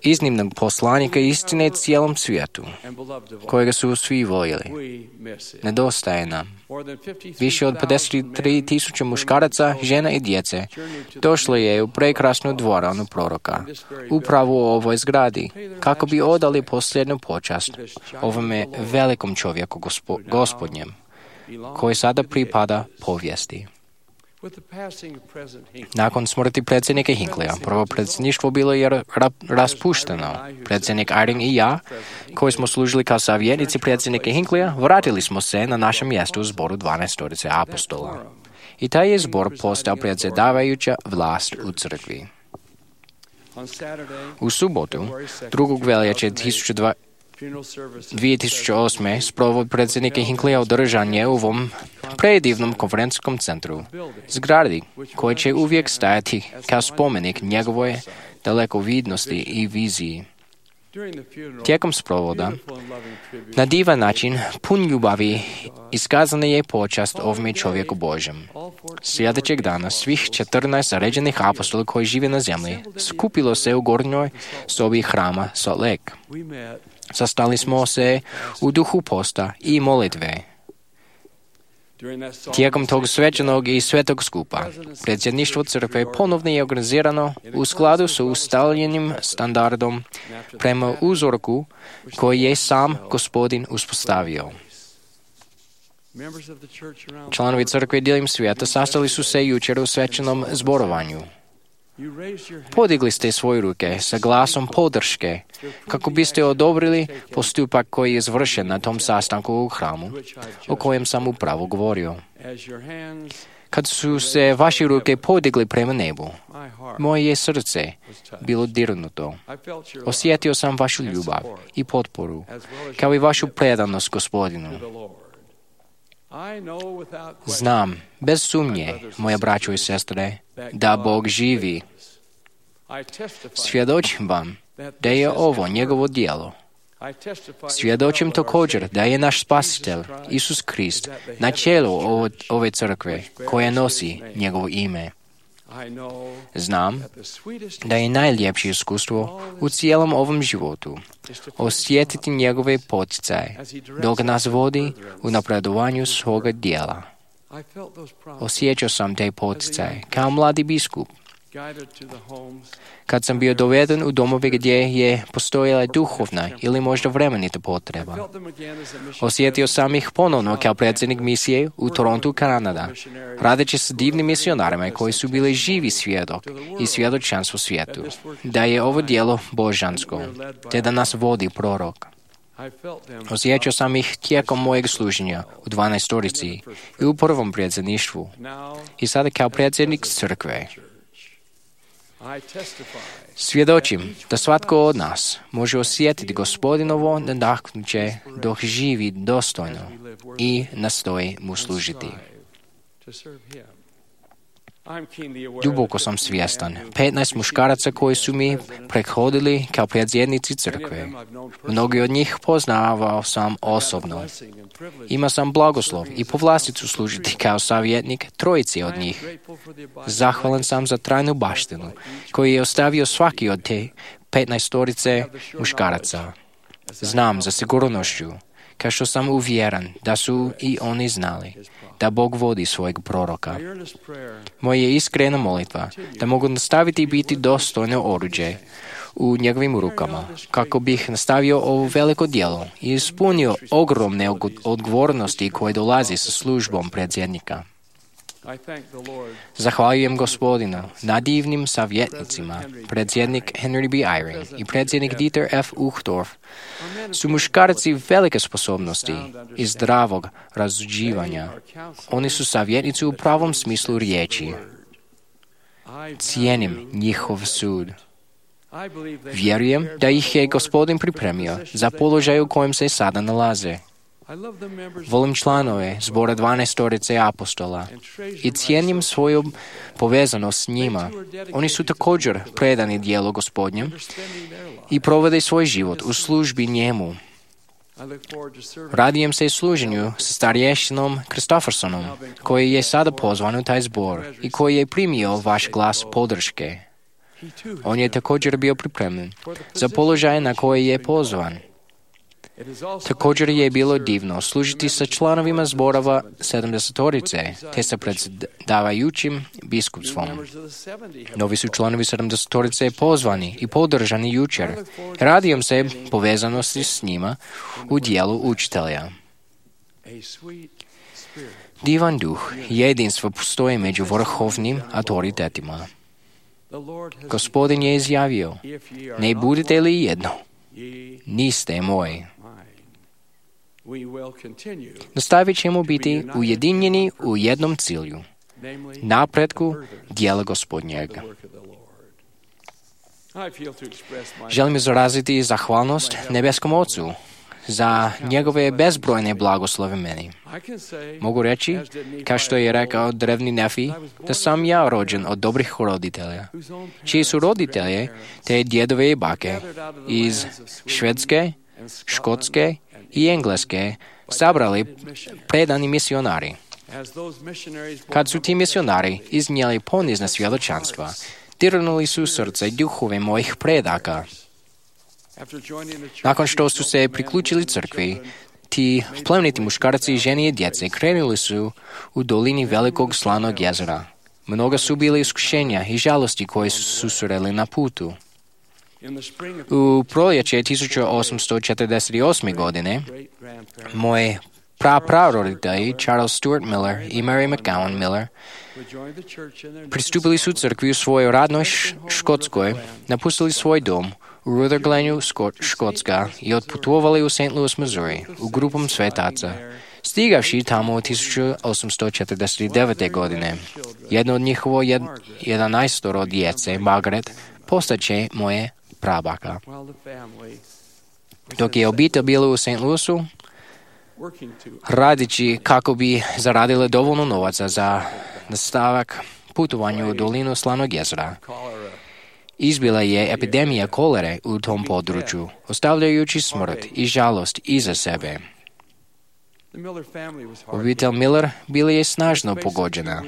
B: Iznimnog poslanika istine cijelom svijetu, kojega su svi voljeli. Nedostaje nam. Više od pedeset tri tisuće muškaraca, žena i djece došlo je u prekrasnu dvoranu proroka, upravo u ovoj zgradi, kako bi odali posljednju počast ovome velikom čovjeku gospo, gospodnjem, koji sada pripada povijesti. Nakon smrti predsjednika Hinklija, prvo predsjedništvo bilo je ra- raspušteno. Predsjednik Eyring i ja, koji smo služili kao savjetnici predsjednika Hinklija, vratili smo se na našem mjestu u zboru dvanaestorice apostola. I taj je zbor postao predsjedavajuća vlast u crkvi. U subotu, drugog veljače dvije tisuće osme. sprovod predsjednika Hinklija održan je u ovom predivnom konferencijskom centru, zgradi koji će uvijek stajati kao spomenik njegove dalekovidnosti i viziji. Tijekom sprovoda, na divan način, pun ljubavi, iskazana je počast ovome čovjeku Božjem. Sljedećeg dana svih četrnaest zaređenih apostola koji žive na zemlji skupilo se u gornjoj sobi hrama Salt Lake. Sastali smo se u duhu posta i molitve. Tijekom tog svečanog i svetog skupa, predsjedništvo crkve ponovno je organizirano u skladu s ustaljenim standardom prema uzorku koji je sam Gospodin uspostavio. Članovi crkve diljem svijeta sastali su se jučer u svečanom zborovanju. Podigli ste svoje ruke sa glasom podrške kako biste odobrili postupak koji je izvršen na tom sastanku u hramu o kojem sam upravo govorio. Kad su se vaše ruke podigli prema nebu, moje je srce bilo dirnuto. Osjetio sam vašu ljubav i potporu, kao i vašu predanost Gospodinu. Znam, bez sumnje, moje braćo i sestre, da Bog živi. Svjedočim vam da je ovo njegovo djelo. Svjedočim također da je naš spasitelj, Isus Krist, na čelu ove crkve koja nosi njegovo ime. Znam da je najljepše iskustvo u cijelom ovom životu osjetiti njegove poticaje dok nas vodi u napredovanju svoga djela. Osjećao sam te poticaje kao mladi biskup Kad sam bio doveden u domove gdje je postojala duhovna ili možda vremenita potreba, osjetio sam ih ponovno kao predsjednik misije u Torontu, Kanada, radeći s divnim misionarima koji su bili živi svjedok i svjedočanstvo svijetu, da je ovo djelo božansko, te da nas vodi prorok. Osjećao sam ih tijekom mojeg služenja u dvanaestorici i u prvom predsjedništvu i sada kao predsjednik crkve. Svjedočim da svatko od nas može osjetiti Gospodinovo nadahnuće dok živi dostojno i nastoji mu služiti. Duboko sam svjestan petnaest muškaraca koji su mi prethodili kao predsjednici crkve. Mnogi od njih poznavao sam osobno. Ima sam blagoslov i povlasticu služiti kao savjetnik trojici od njih. Zahvalan sam za trajnu baštinu koju je ostavio svaki od te petnaestorice muškaraca. Znam za sigurnošću, kao što sam uvjeran da su i oni znali da Bog vodi svojeg proroka. Moja je iskrena molitva da mogu nastaviti biti dostojno oruđe u njegovim rukama, kako bih nastavio ovo veliko djelo i ispunio ogromne odgovornosti koje dolazi sa službom predsjednika. Zahvaljujem Gospodinu na divnim savjetnicima. Predsjednik Henry B. Eyring i predsjednik Dieter F. Uchtdorf su muškarci velike sposobnosti i zdravog razuđivanja. Oni su savjetnici u pravom smislu riječi. Cijenim njihov sud. Vjerujem da ih je Gospodin pripremio za položaj u kojem se sada nalaze. Volim članove zbora dvanaestorice apostola i cijenim svoju povezanost s njima. Oni su također predani djelu Gospodnjem i provode svoj život u službi njemu. Radujem se služenju sa starješinom Kristoffersonom, koji je sada pozvan u taj zbor i koji je primio vaš glas podrške. On je također bio pripremljen za položaj na koji je pozvan. Također je bilo divno služiti sa članovima zborova sedamdesetorice, te sa predsjedavajućim biskupstvom. Novi su članovi sedamdesetorice pozvani i podržani jučer. Radujem se povezanosti s njima u dijelu učitelja. Divan duh jedinstva postoji među vrhovnim autoritetima. Gospodin je izjavio, ne budete li jedno, niste moji. Nastavit ćemo biti ujedinjeni u jednom cilju, napretku djela Gospodnjega. Želim izraziti zahvalnost nebeskom Ocu za njegove bezbrojne blagoslove meni. Mogu reći, kao što je rekao drevni Nefi, da sam ja rođen od dobrih roditelja, čiji su roditelje te djedove i bake iz Švedske, Škotske i Engleske sabrali predani misionari. Kad su ti misionari iznijeli ponizna svjedočanstva, dirnuli su srce i duhove mojih predaka. Nakon što su se priključili crkvi, ti plemeniti muškarci, žene i djece krenuli su u dolini velikog slanog jezera. Mnoga su bili iskušenja i žalosti koje su susreli na putu. U proljeće tisuću osamsto četrdeset osme. godine moji prapraroditelji Charles Stuart Miller i Mary McGowan Miller pristupili su crkvi u svojoj radnoj Škotskoj, napustili svoj dom u Rutherglenju, Škotska i otputovali u Saint Louis, Missouri u grupom svetaca. Stigavši tamo u tisuću osamsto četrdeset devete. godine, jedno od njihovo jed, jedanaestoro djece, Margaret, postaće moje prabaka. Dok je obitelj bila u Saint Louisu, radići kako bi zaradile dovoljno novaca za nastavak putovanja u dolinu Slanog jezera, izbila je epidemija kolere u tom području, ostavljajući smrt i žalost iza sebe. Obitelj Miller bila je snažno pogođena.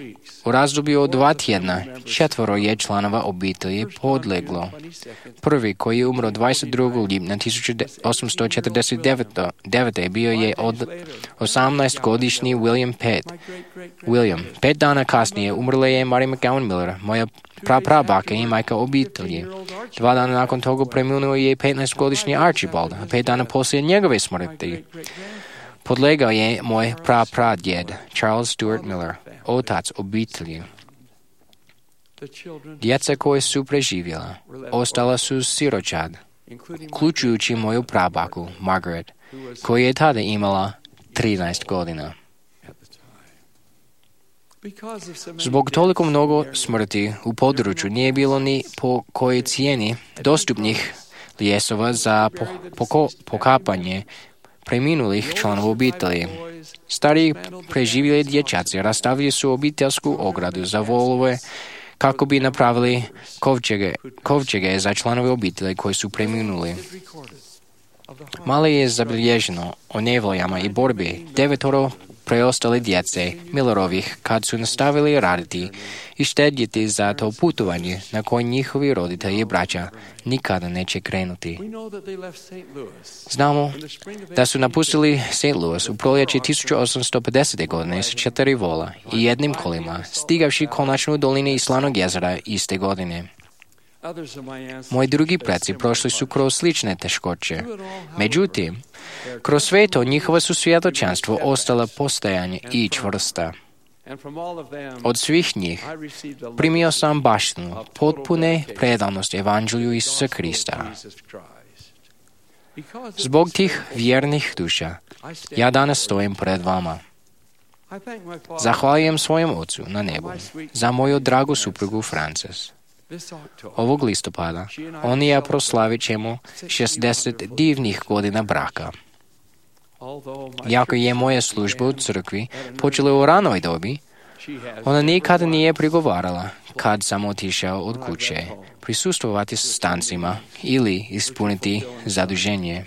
B: U razdoblju od dva tjedna četvoro je članova obitelji podleglo. Prvi, koji je umro dvadeset drugog lipnja tisuću osamsto četrdeset devete. bio je od osamnaestogodišnji William Pitt. William. Pet dana kasnije umrla je Mary McGowan Miller, moja praprabaka i majka obitelji. Dva dana nakon toga preminuo je petnaestogodišnji Archibald, a pet dana poslije njegove smrti podlegao je moj prapradjed Charles Stewart Miller, otac obitelji. Djeca koje su preživjela ostala su siročad, uključujući moju prabaku Margaret, koja je tada imala trinaest godina. Zbog toliko mnogo smrti u području nije bilo ni po kojoj cijeni dostupnih lijesova za po, poko, pokapanje preminulih članova obitelji. Stariji preživjeli dječaci rastavili su obiteljsku ogradu za volove kako bi napravili kovčege, kovčege za članove obitelji koji su preminuli. Malo je zabilježeno o nevoljama i borbi devetoro preostale djece Millerovih kad su nastavili raditi i štedjeti za to putovanje na koje njihovi roditelji i braća nikada neće krenuti. Znamo da su napustili Saint Louis u proljeće tisuću osamsto pedesete. godine sa četiri vola i jednim kolima, stigavši konačno u dolini Slanog jezera iste godine. Moji drugi preci prošli su kroz slične teškoće. Međutim, kroz sve to njihova su svjedočanstvo ostala postojanje i čvrsta. Od svih njih primio sam baštinu potpune predanosti Evanđelju Isusa Krista. Zbog tih vjernih duša ja danas stojim pred vama. Zahvaljujem svojem Ocu na nebu za moju dragu suprugu Frances. Ovog listopada on i ja proslavit ćemo šezdeset divnih godina braka. Iako je moja služba u crkvi počela u ranoj dobi, ona nikada nije prigovarala kad sam otišao od kuće prisustvovati stancima ili ispuniti zaduženje.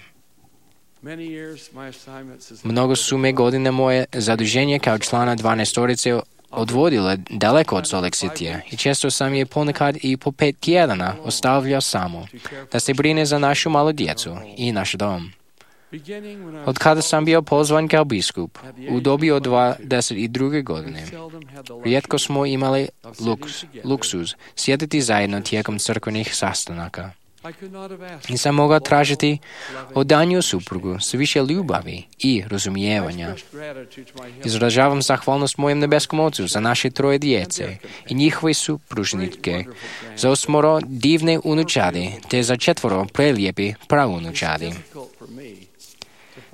B: Mnogo su me godine moje zaduženje kao člana dvanaestorice odvodile daleko od Salt Lake Citya i često sam je ponekad i po pet tjedana ostavljao samo da se brine za našu malu djecu i naš dom. Od kada sam bio pozvan kao biskup u dobi od dvadeset druge. godine, rijetko smo imali luks, luksuz sjediti zajedno tijekom crkvenih sastanaka. Nisam mogao tražiti od danju suprugu s više ljubavi i razumijevanja. Izražavam zahvalnost mojem nebeskom Ocu za naše troje djece i njihove supružnike, za osmoro divne unučadi, te za četvoro prelijepi praunučadi.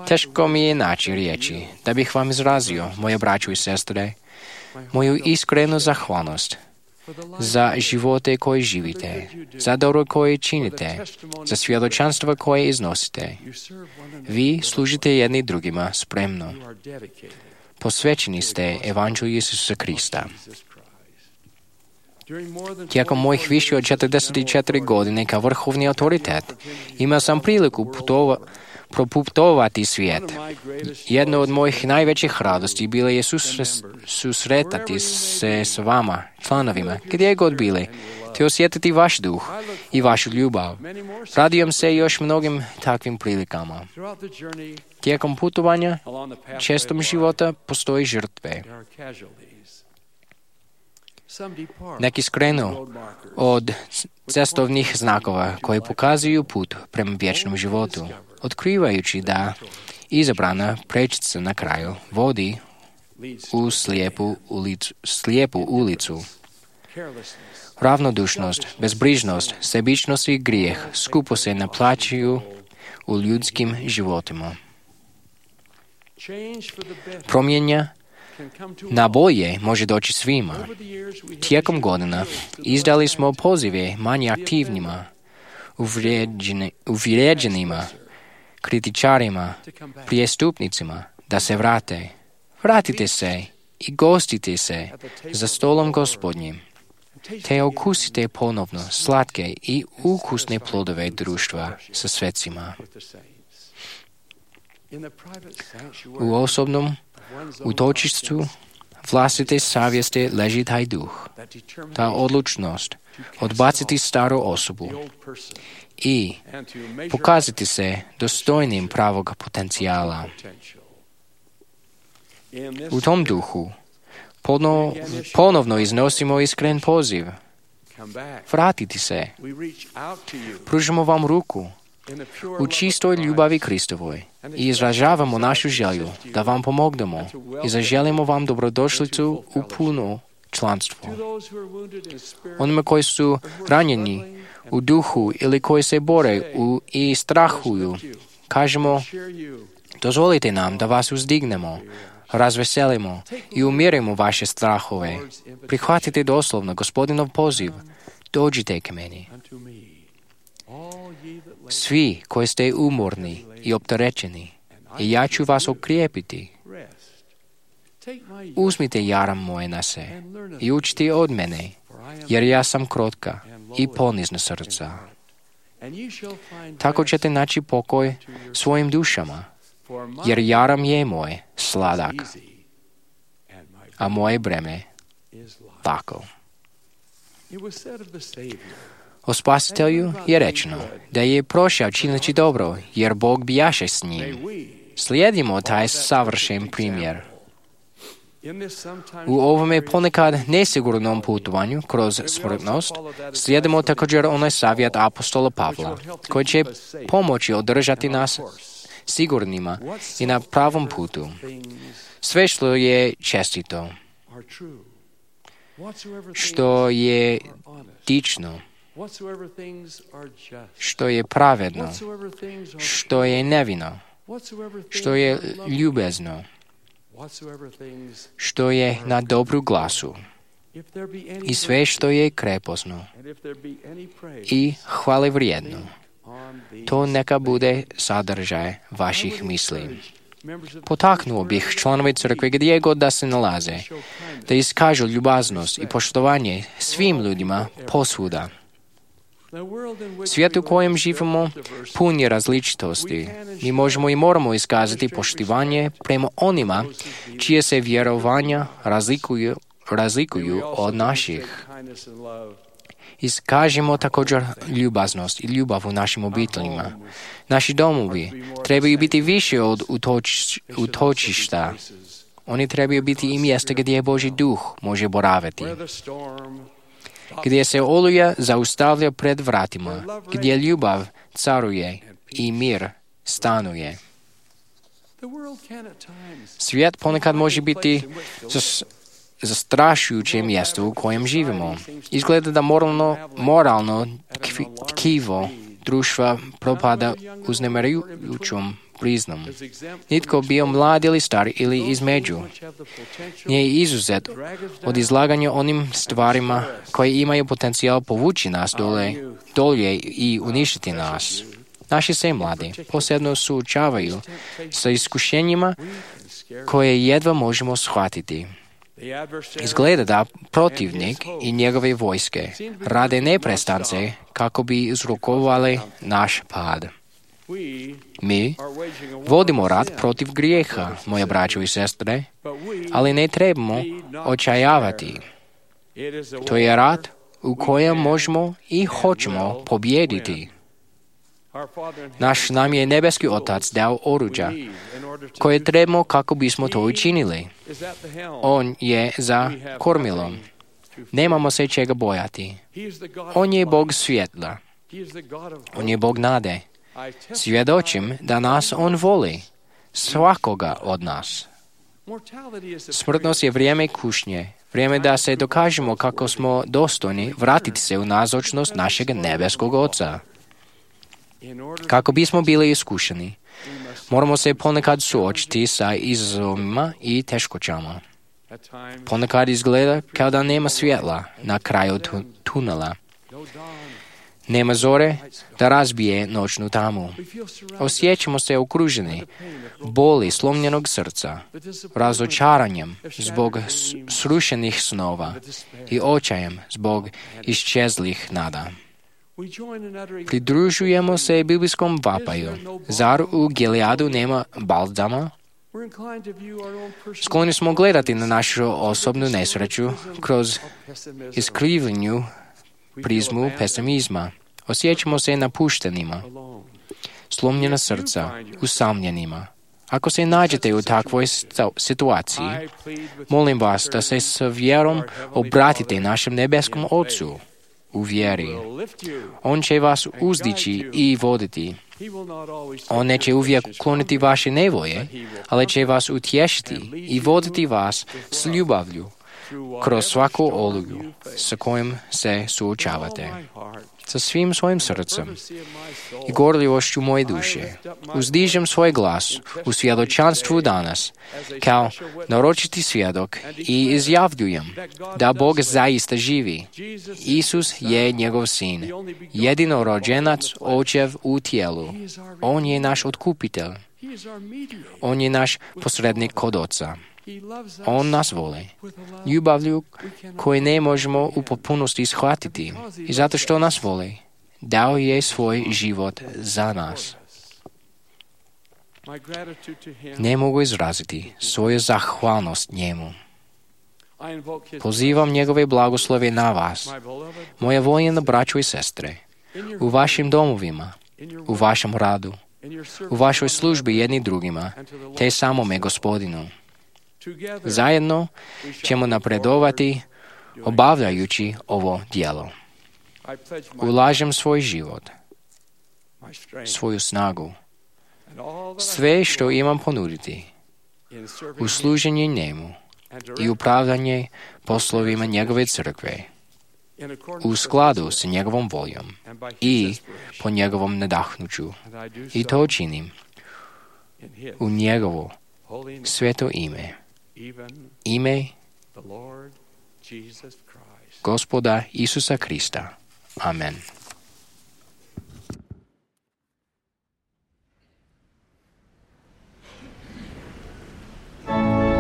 B: Teško mi je naći riječi da bih vam izrazio, moje braćo i sestre, moju iskrenu zahvalnost za živote koje živite, za dobro koje činite, za svjedočanstva koje iznosite. Vi služite jedni drugima spremno. Posvećeni ste Evanđelju Isusa Krista. Tijekom mojih više od četrdeset četiri godine kao vrhovni autoritet imao sam priliku putova, proputovati svijet. Jedno od mojih najvećih radosti bilo je susre, susretati se s vama, članovima, gdje god bili, te osjetiti vaš duh i vašu ljubav. Radujem se još mnogim takvim prilikama. Tijekom putovanja, čestom života postoji žrtve. Neki skrenu od cestovnih znakova koji pokazuju put prema vječnom životu, otkrivajući da izabrana prečica na kraju vodi u slijepu ulicu. Slijepu ulicu. Ravnodušnost, bezbrižnost, sebičnost i grijeh skupo se naplaćuju u ljudskim životima. Promjenja na bolje može doći svima. Tijekom godina izdali smo pozive manje aktivnima, uvrijeđenima, kritičarima, prijestupnicima da se vrate. Vratite se i gostite se za stolom Gospodnjim, te okusite ponovno slatke i ukusne plodove društva sa svecima. U osobnom utočištu vlastite savjesti leží taj duh, ta odlučnost odbaciti staru osobu i pokazati se dostojnim pravog potencijala. U tom duhu ponovno, ponovno iznosimo iskren poziv. Vratiti se. Pružimo vam ruku u čistoj ljubavi Kristovoj i izražavamo našu želju da vam pomognemo i zaželimo vam dobrodošlicu u puno članstvo. Onima koji su ranjeni u duhu ili koji se bore u, i strahuju, kažemo, dozvolite nam da vas uzdignemo, razveselimo i umirimo vaše strahove. Prihvatite doslovno Gospodinov poziv. Dođite k meni. Svi koji ste umorni i opterećeni, i ja ću vas okrijepiti. Uzmite jaram moje na se i učite od mene, jer ja sam krotka i ponizna srca. Tako ćete naći pokoj svojim dušama, jer jaram je moj sladak, a moje breme lako. O Spasitelju je rečeno da je prošao čineći dobro, jer Bog bijaše s njim. Slijedimo taj savršen primjer. U ovome ponekad nesigurnom putovanju kroz smrtnost slijedimo također onaj savjet apostola Pavla, koji će pomoći održati nas sigurnima i na pravom putu. Sve što je čestito, što je dično, što je pravedno, što je nevino, što je ljubezno, što je na dobru glasu i sve što je krepostno i hvale vrijedno. To neka bude sadržaj vaših misli. Potaknuo bih članove crkve gdje god da se nalaze, da iskažu ljubaznost i poštovanje svim ljudima posvuda. Svijet u kojem živimo pun je različitosti. Mi možemo i moramo iskazati poštivanje prema onima čije se vjerovanja razlikuju, razlikuju od naših. Iskažimo također ljubaznost i ljubav u našim obiteljima. Naši domovi trebaju biti više od utoč, utočišta. Oni trebaju biti i mjesta gdje Božji duh može boraviti. Gdje se oluja zaustavlja pred vratima, gdje ljubav caruje i mir stanuje. Svijet ponekad može biti zastrašujuće mjesto u kojem živimo. Izgleda da moralno, moralno tkivo društva propada uznemirujućom priznom. Nitko bio mlad ili star ili između nije izuzet od izlaganja onim stvarima koje imaju potencijal povući nas dole, dolje i uništiti nas. Naši se mladi posebno suočavaju sa iskušenjima koje jedva možemo shvatiti. Izgleda da protivnik i njegove vojske rade neprestance kako bi uzrokovali naš pad. Mi vodimo rat protiv grijeha, moje braćo i sestre, ali ne trebamo očajavati. To je rat u kojem možemo i hoćemo pobijediti. Naš nam je nebeski Otac dao oruđa koje trebamo kako bismo to učinili. On je za kormilom. Nemamo se čega bojati. On je Bog svjetla. On je Bog nade. Svjedočim da nas On voli, svakoga od nas. Smrtnost je vrijeme kušnje, vrijeme da se dokažemo kako smo dostojni vratiti se u nazočnost našeg nebeskog Oca. Kako bismo bili iskušeni, moramo se ponekad suočiti sa izazovima i teškoćama. Ponekad izgleda kao da nema svjetla na kraju tu- tunela. Nema zore da razbije noćnu tamu. Osjećamo se okruženi boli slomljenog srca, razočaranjem zbog srušenih snova i očajem zbog iščezlih nada. Pridružujemo se biblijskom vapaju. Zar u Gileadu nema balzama? Skloni smo gledati na našu osobnu nesreću kroz iskrivljenju prizmu pesimizma. Osjećamo se napuštenima, slomljena srca, usamljenima. Ako se nađete u takvoj situaciji, molim vas da se s vjerom obratite našem nebeskom Ocu u vjeri. On će vas uzdići i voditi. On neće uvijek ukloniti vaše nevolje, ali će vas utješiti i voditi vas s ljubavlju kroz svaku oluju sa kojim se suočavate. Sa svim svojim srcem i gorljivošću moje duše uzdižem svoj glas u svjedočanstvu danas kao naročiti svjedok i izjavljujem da Bog zaista živi. Isus je njegov sin, jedinorođenac Očev u tijelu. On je naš otkupitelj. On je naš posrednik kod Oca. On nas voli, ljubavlju koju ne možemo u potpunosti shvatiti i zato što nas voli, dao je svoj život za nas. Ne mogu izraziti svoju zahvalnost njemu. Pozivam njegove blagoslove na vas, moje voljene braćo i sestre, u vašim domovima, u vašem radu, u vašoj službi jedni drugima, te samome Gospodinu. Zajedno ćemo napredovati obavljajući ovo djelo. Ulažem svoj život, svoju snagu, sve što imam ponuditi u služenje njemu i upravljanje poslovima njegove crkve u skladu s njegovom voljom i po njegovom nadahnuću. I to činim u njegovo sveto ime. Ime Gospoda Isusa Krista. Amen.
J: Amen.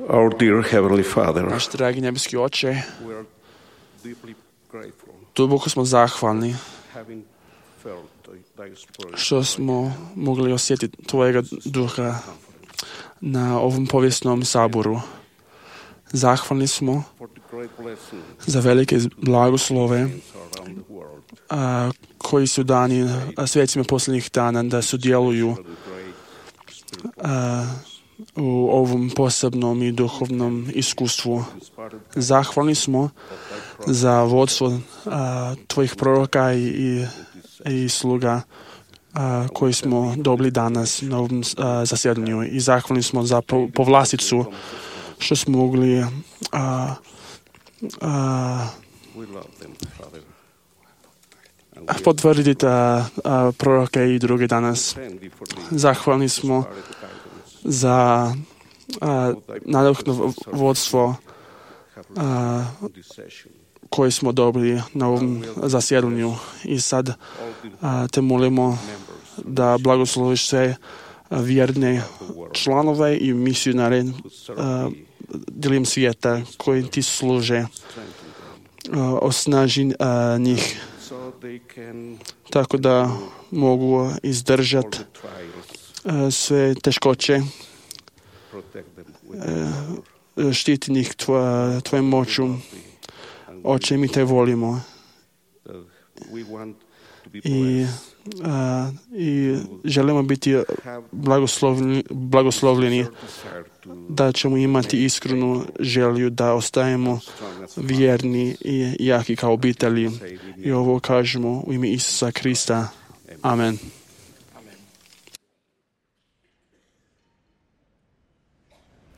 E: Our dear Heavenly Father,
I: Naš dragi nebeski Oče,
E: we are deeply grateful
I: duboko smo zahvalni
E: having felt thy spirit
I: što smo mogli osjetiti Tvojega duha na ovom povijesnom saboru. Zahvalni smo
E: for the great blessing
I: za velike blagoslove
E: around the world.
I: a, koji su dani a, svecima posljednjih dana da sudjeluju a, u ovom posebnom i duhovnom iskustvu. Zahvalni smo za vodstvo a, Tvojih proroka i, i, i sluga a, koji smo dobili danas na ovom a, zasjedanju. I zahvalni smo za po, povlasticu što smo mogli a, a, potvrditi a, a, proroke i druge danas. Zahvalni smo za nadahnuto vodstvo a, koje smo dobili na ovom zasjedanju. I sad a, te molimo da blagosloviš sve vjerne članove i misionare a, diljem svijeta koji ti služe. A, osnaži a, njih tako da mogu izdržati a, sve teškoće, a, štiti njih tvoja, tvojom moću. Oče, mi te volimo i, a, i želimo biti blagoslovljeni, blagoslovljeni da ćemo imati iskrenu želju da ostajemo vjerni i jaki kao obitelji. I ovo kažemo u ime Isusa Krista. Amen.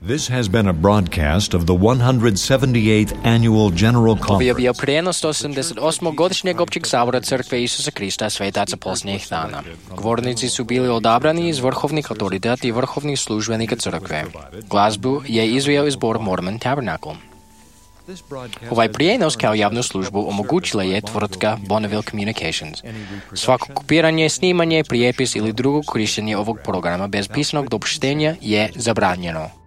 A: This has been a broadcast of the one hundred seventy-eighth Annual General
B: Ovo je bio
A: Conference.
B: prijenos sto sedamdeset osmog godišnjeg općeg sabora Crkve Isusa Krista svetaca posljednjih dana. Govornici su bili odabrani iz vrhovnih autoriteta i vrhovnih službenika Crkve. Glazbu je izveo iz zbor Mormon Tabernacle. Ovaj prijenos kao javnu službu omogućila je tvrtka Bonneville Communications. Svako kopiranje, snimanje, prijepis ili drugo korištenje ovog programa bez pisanog dopuštenja je zabranjeno.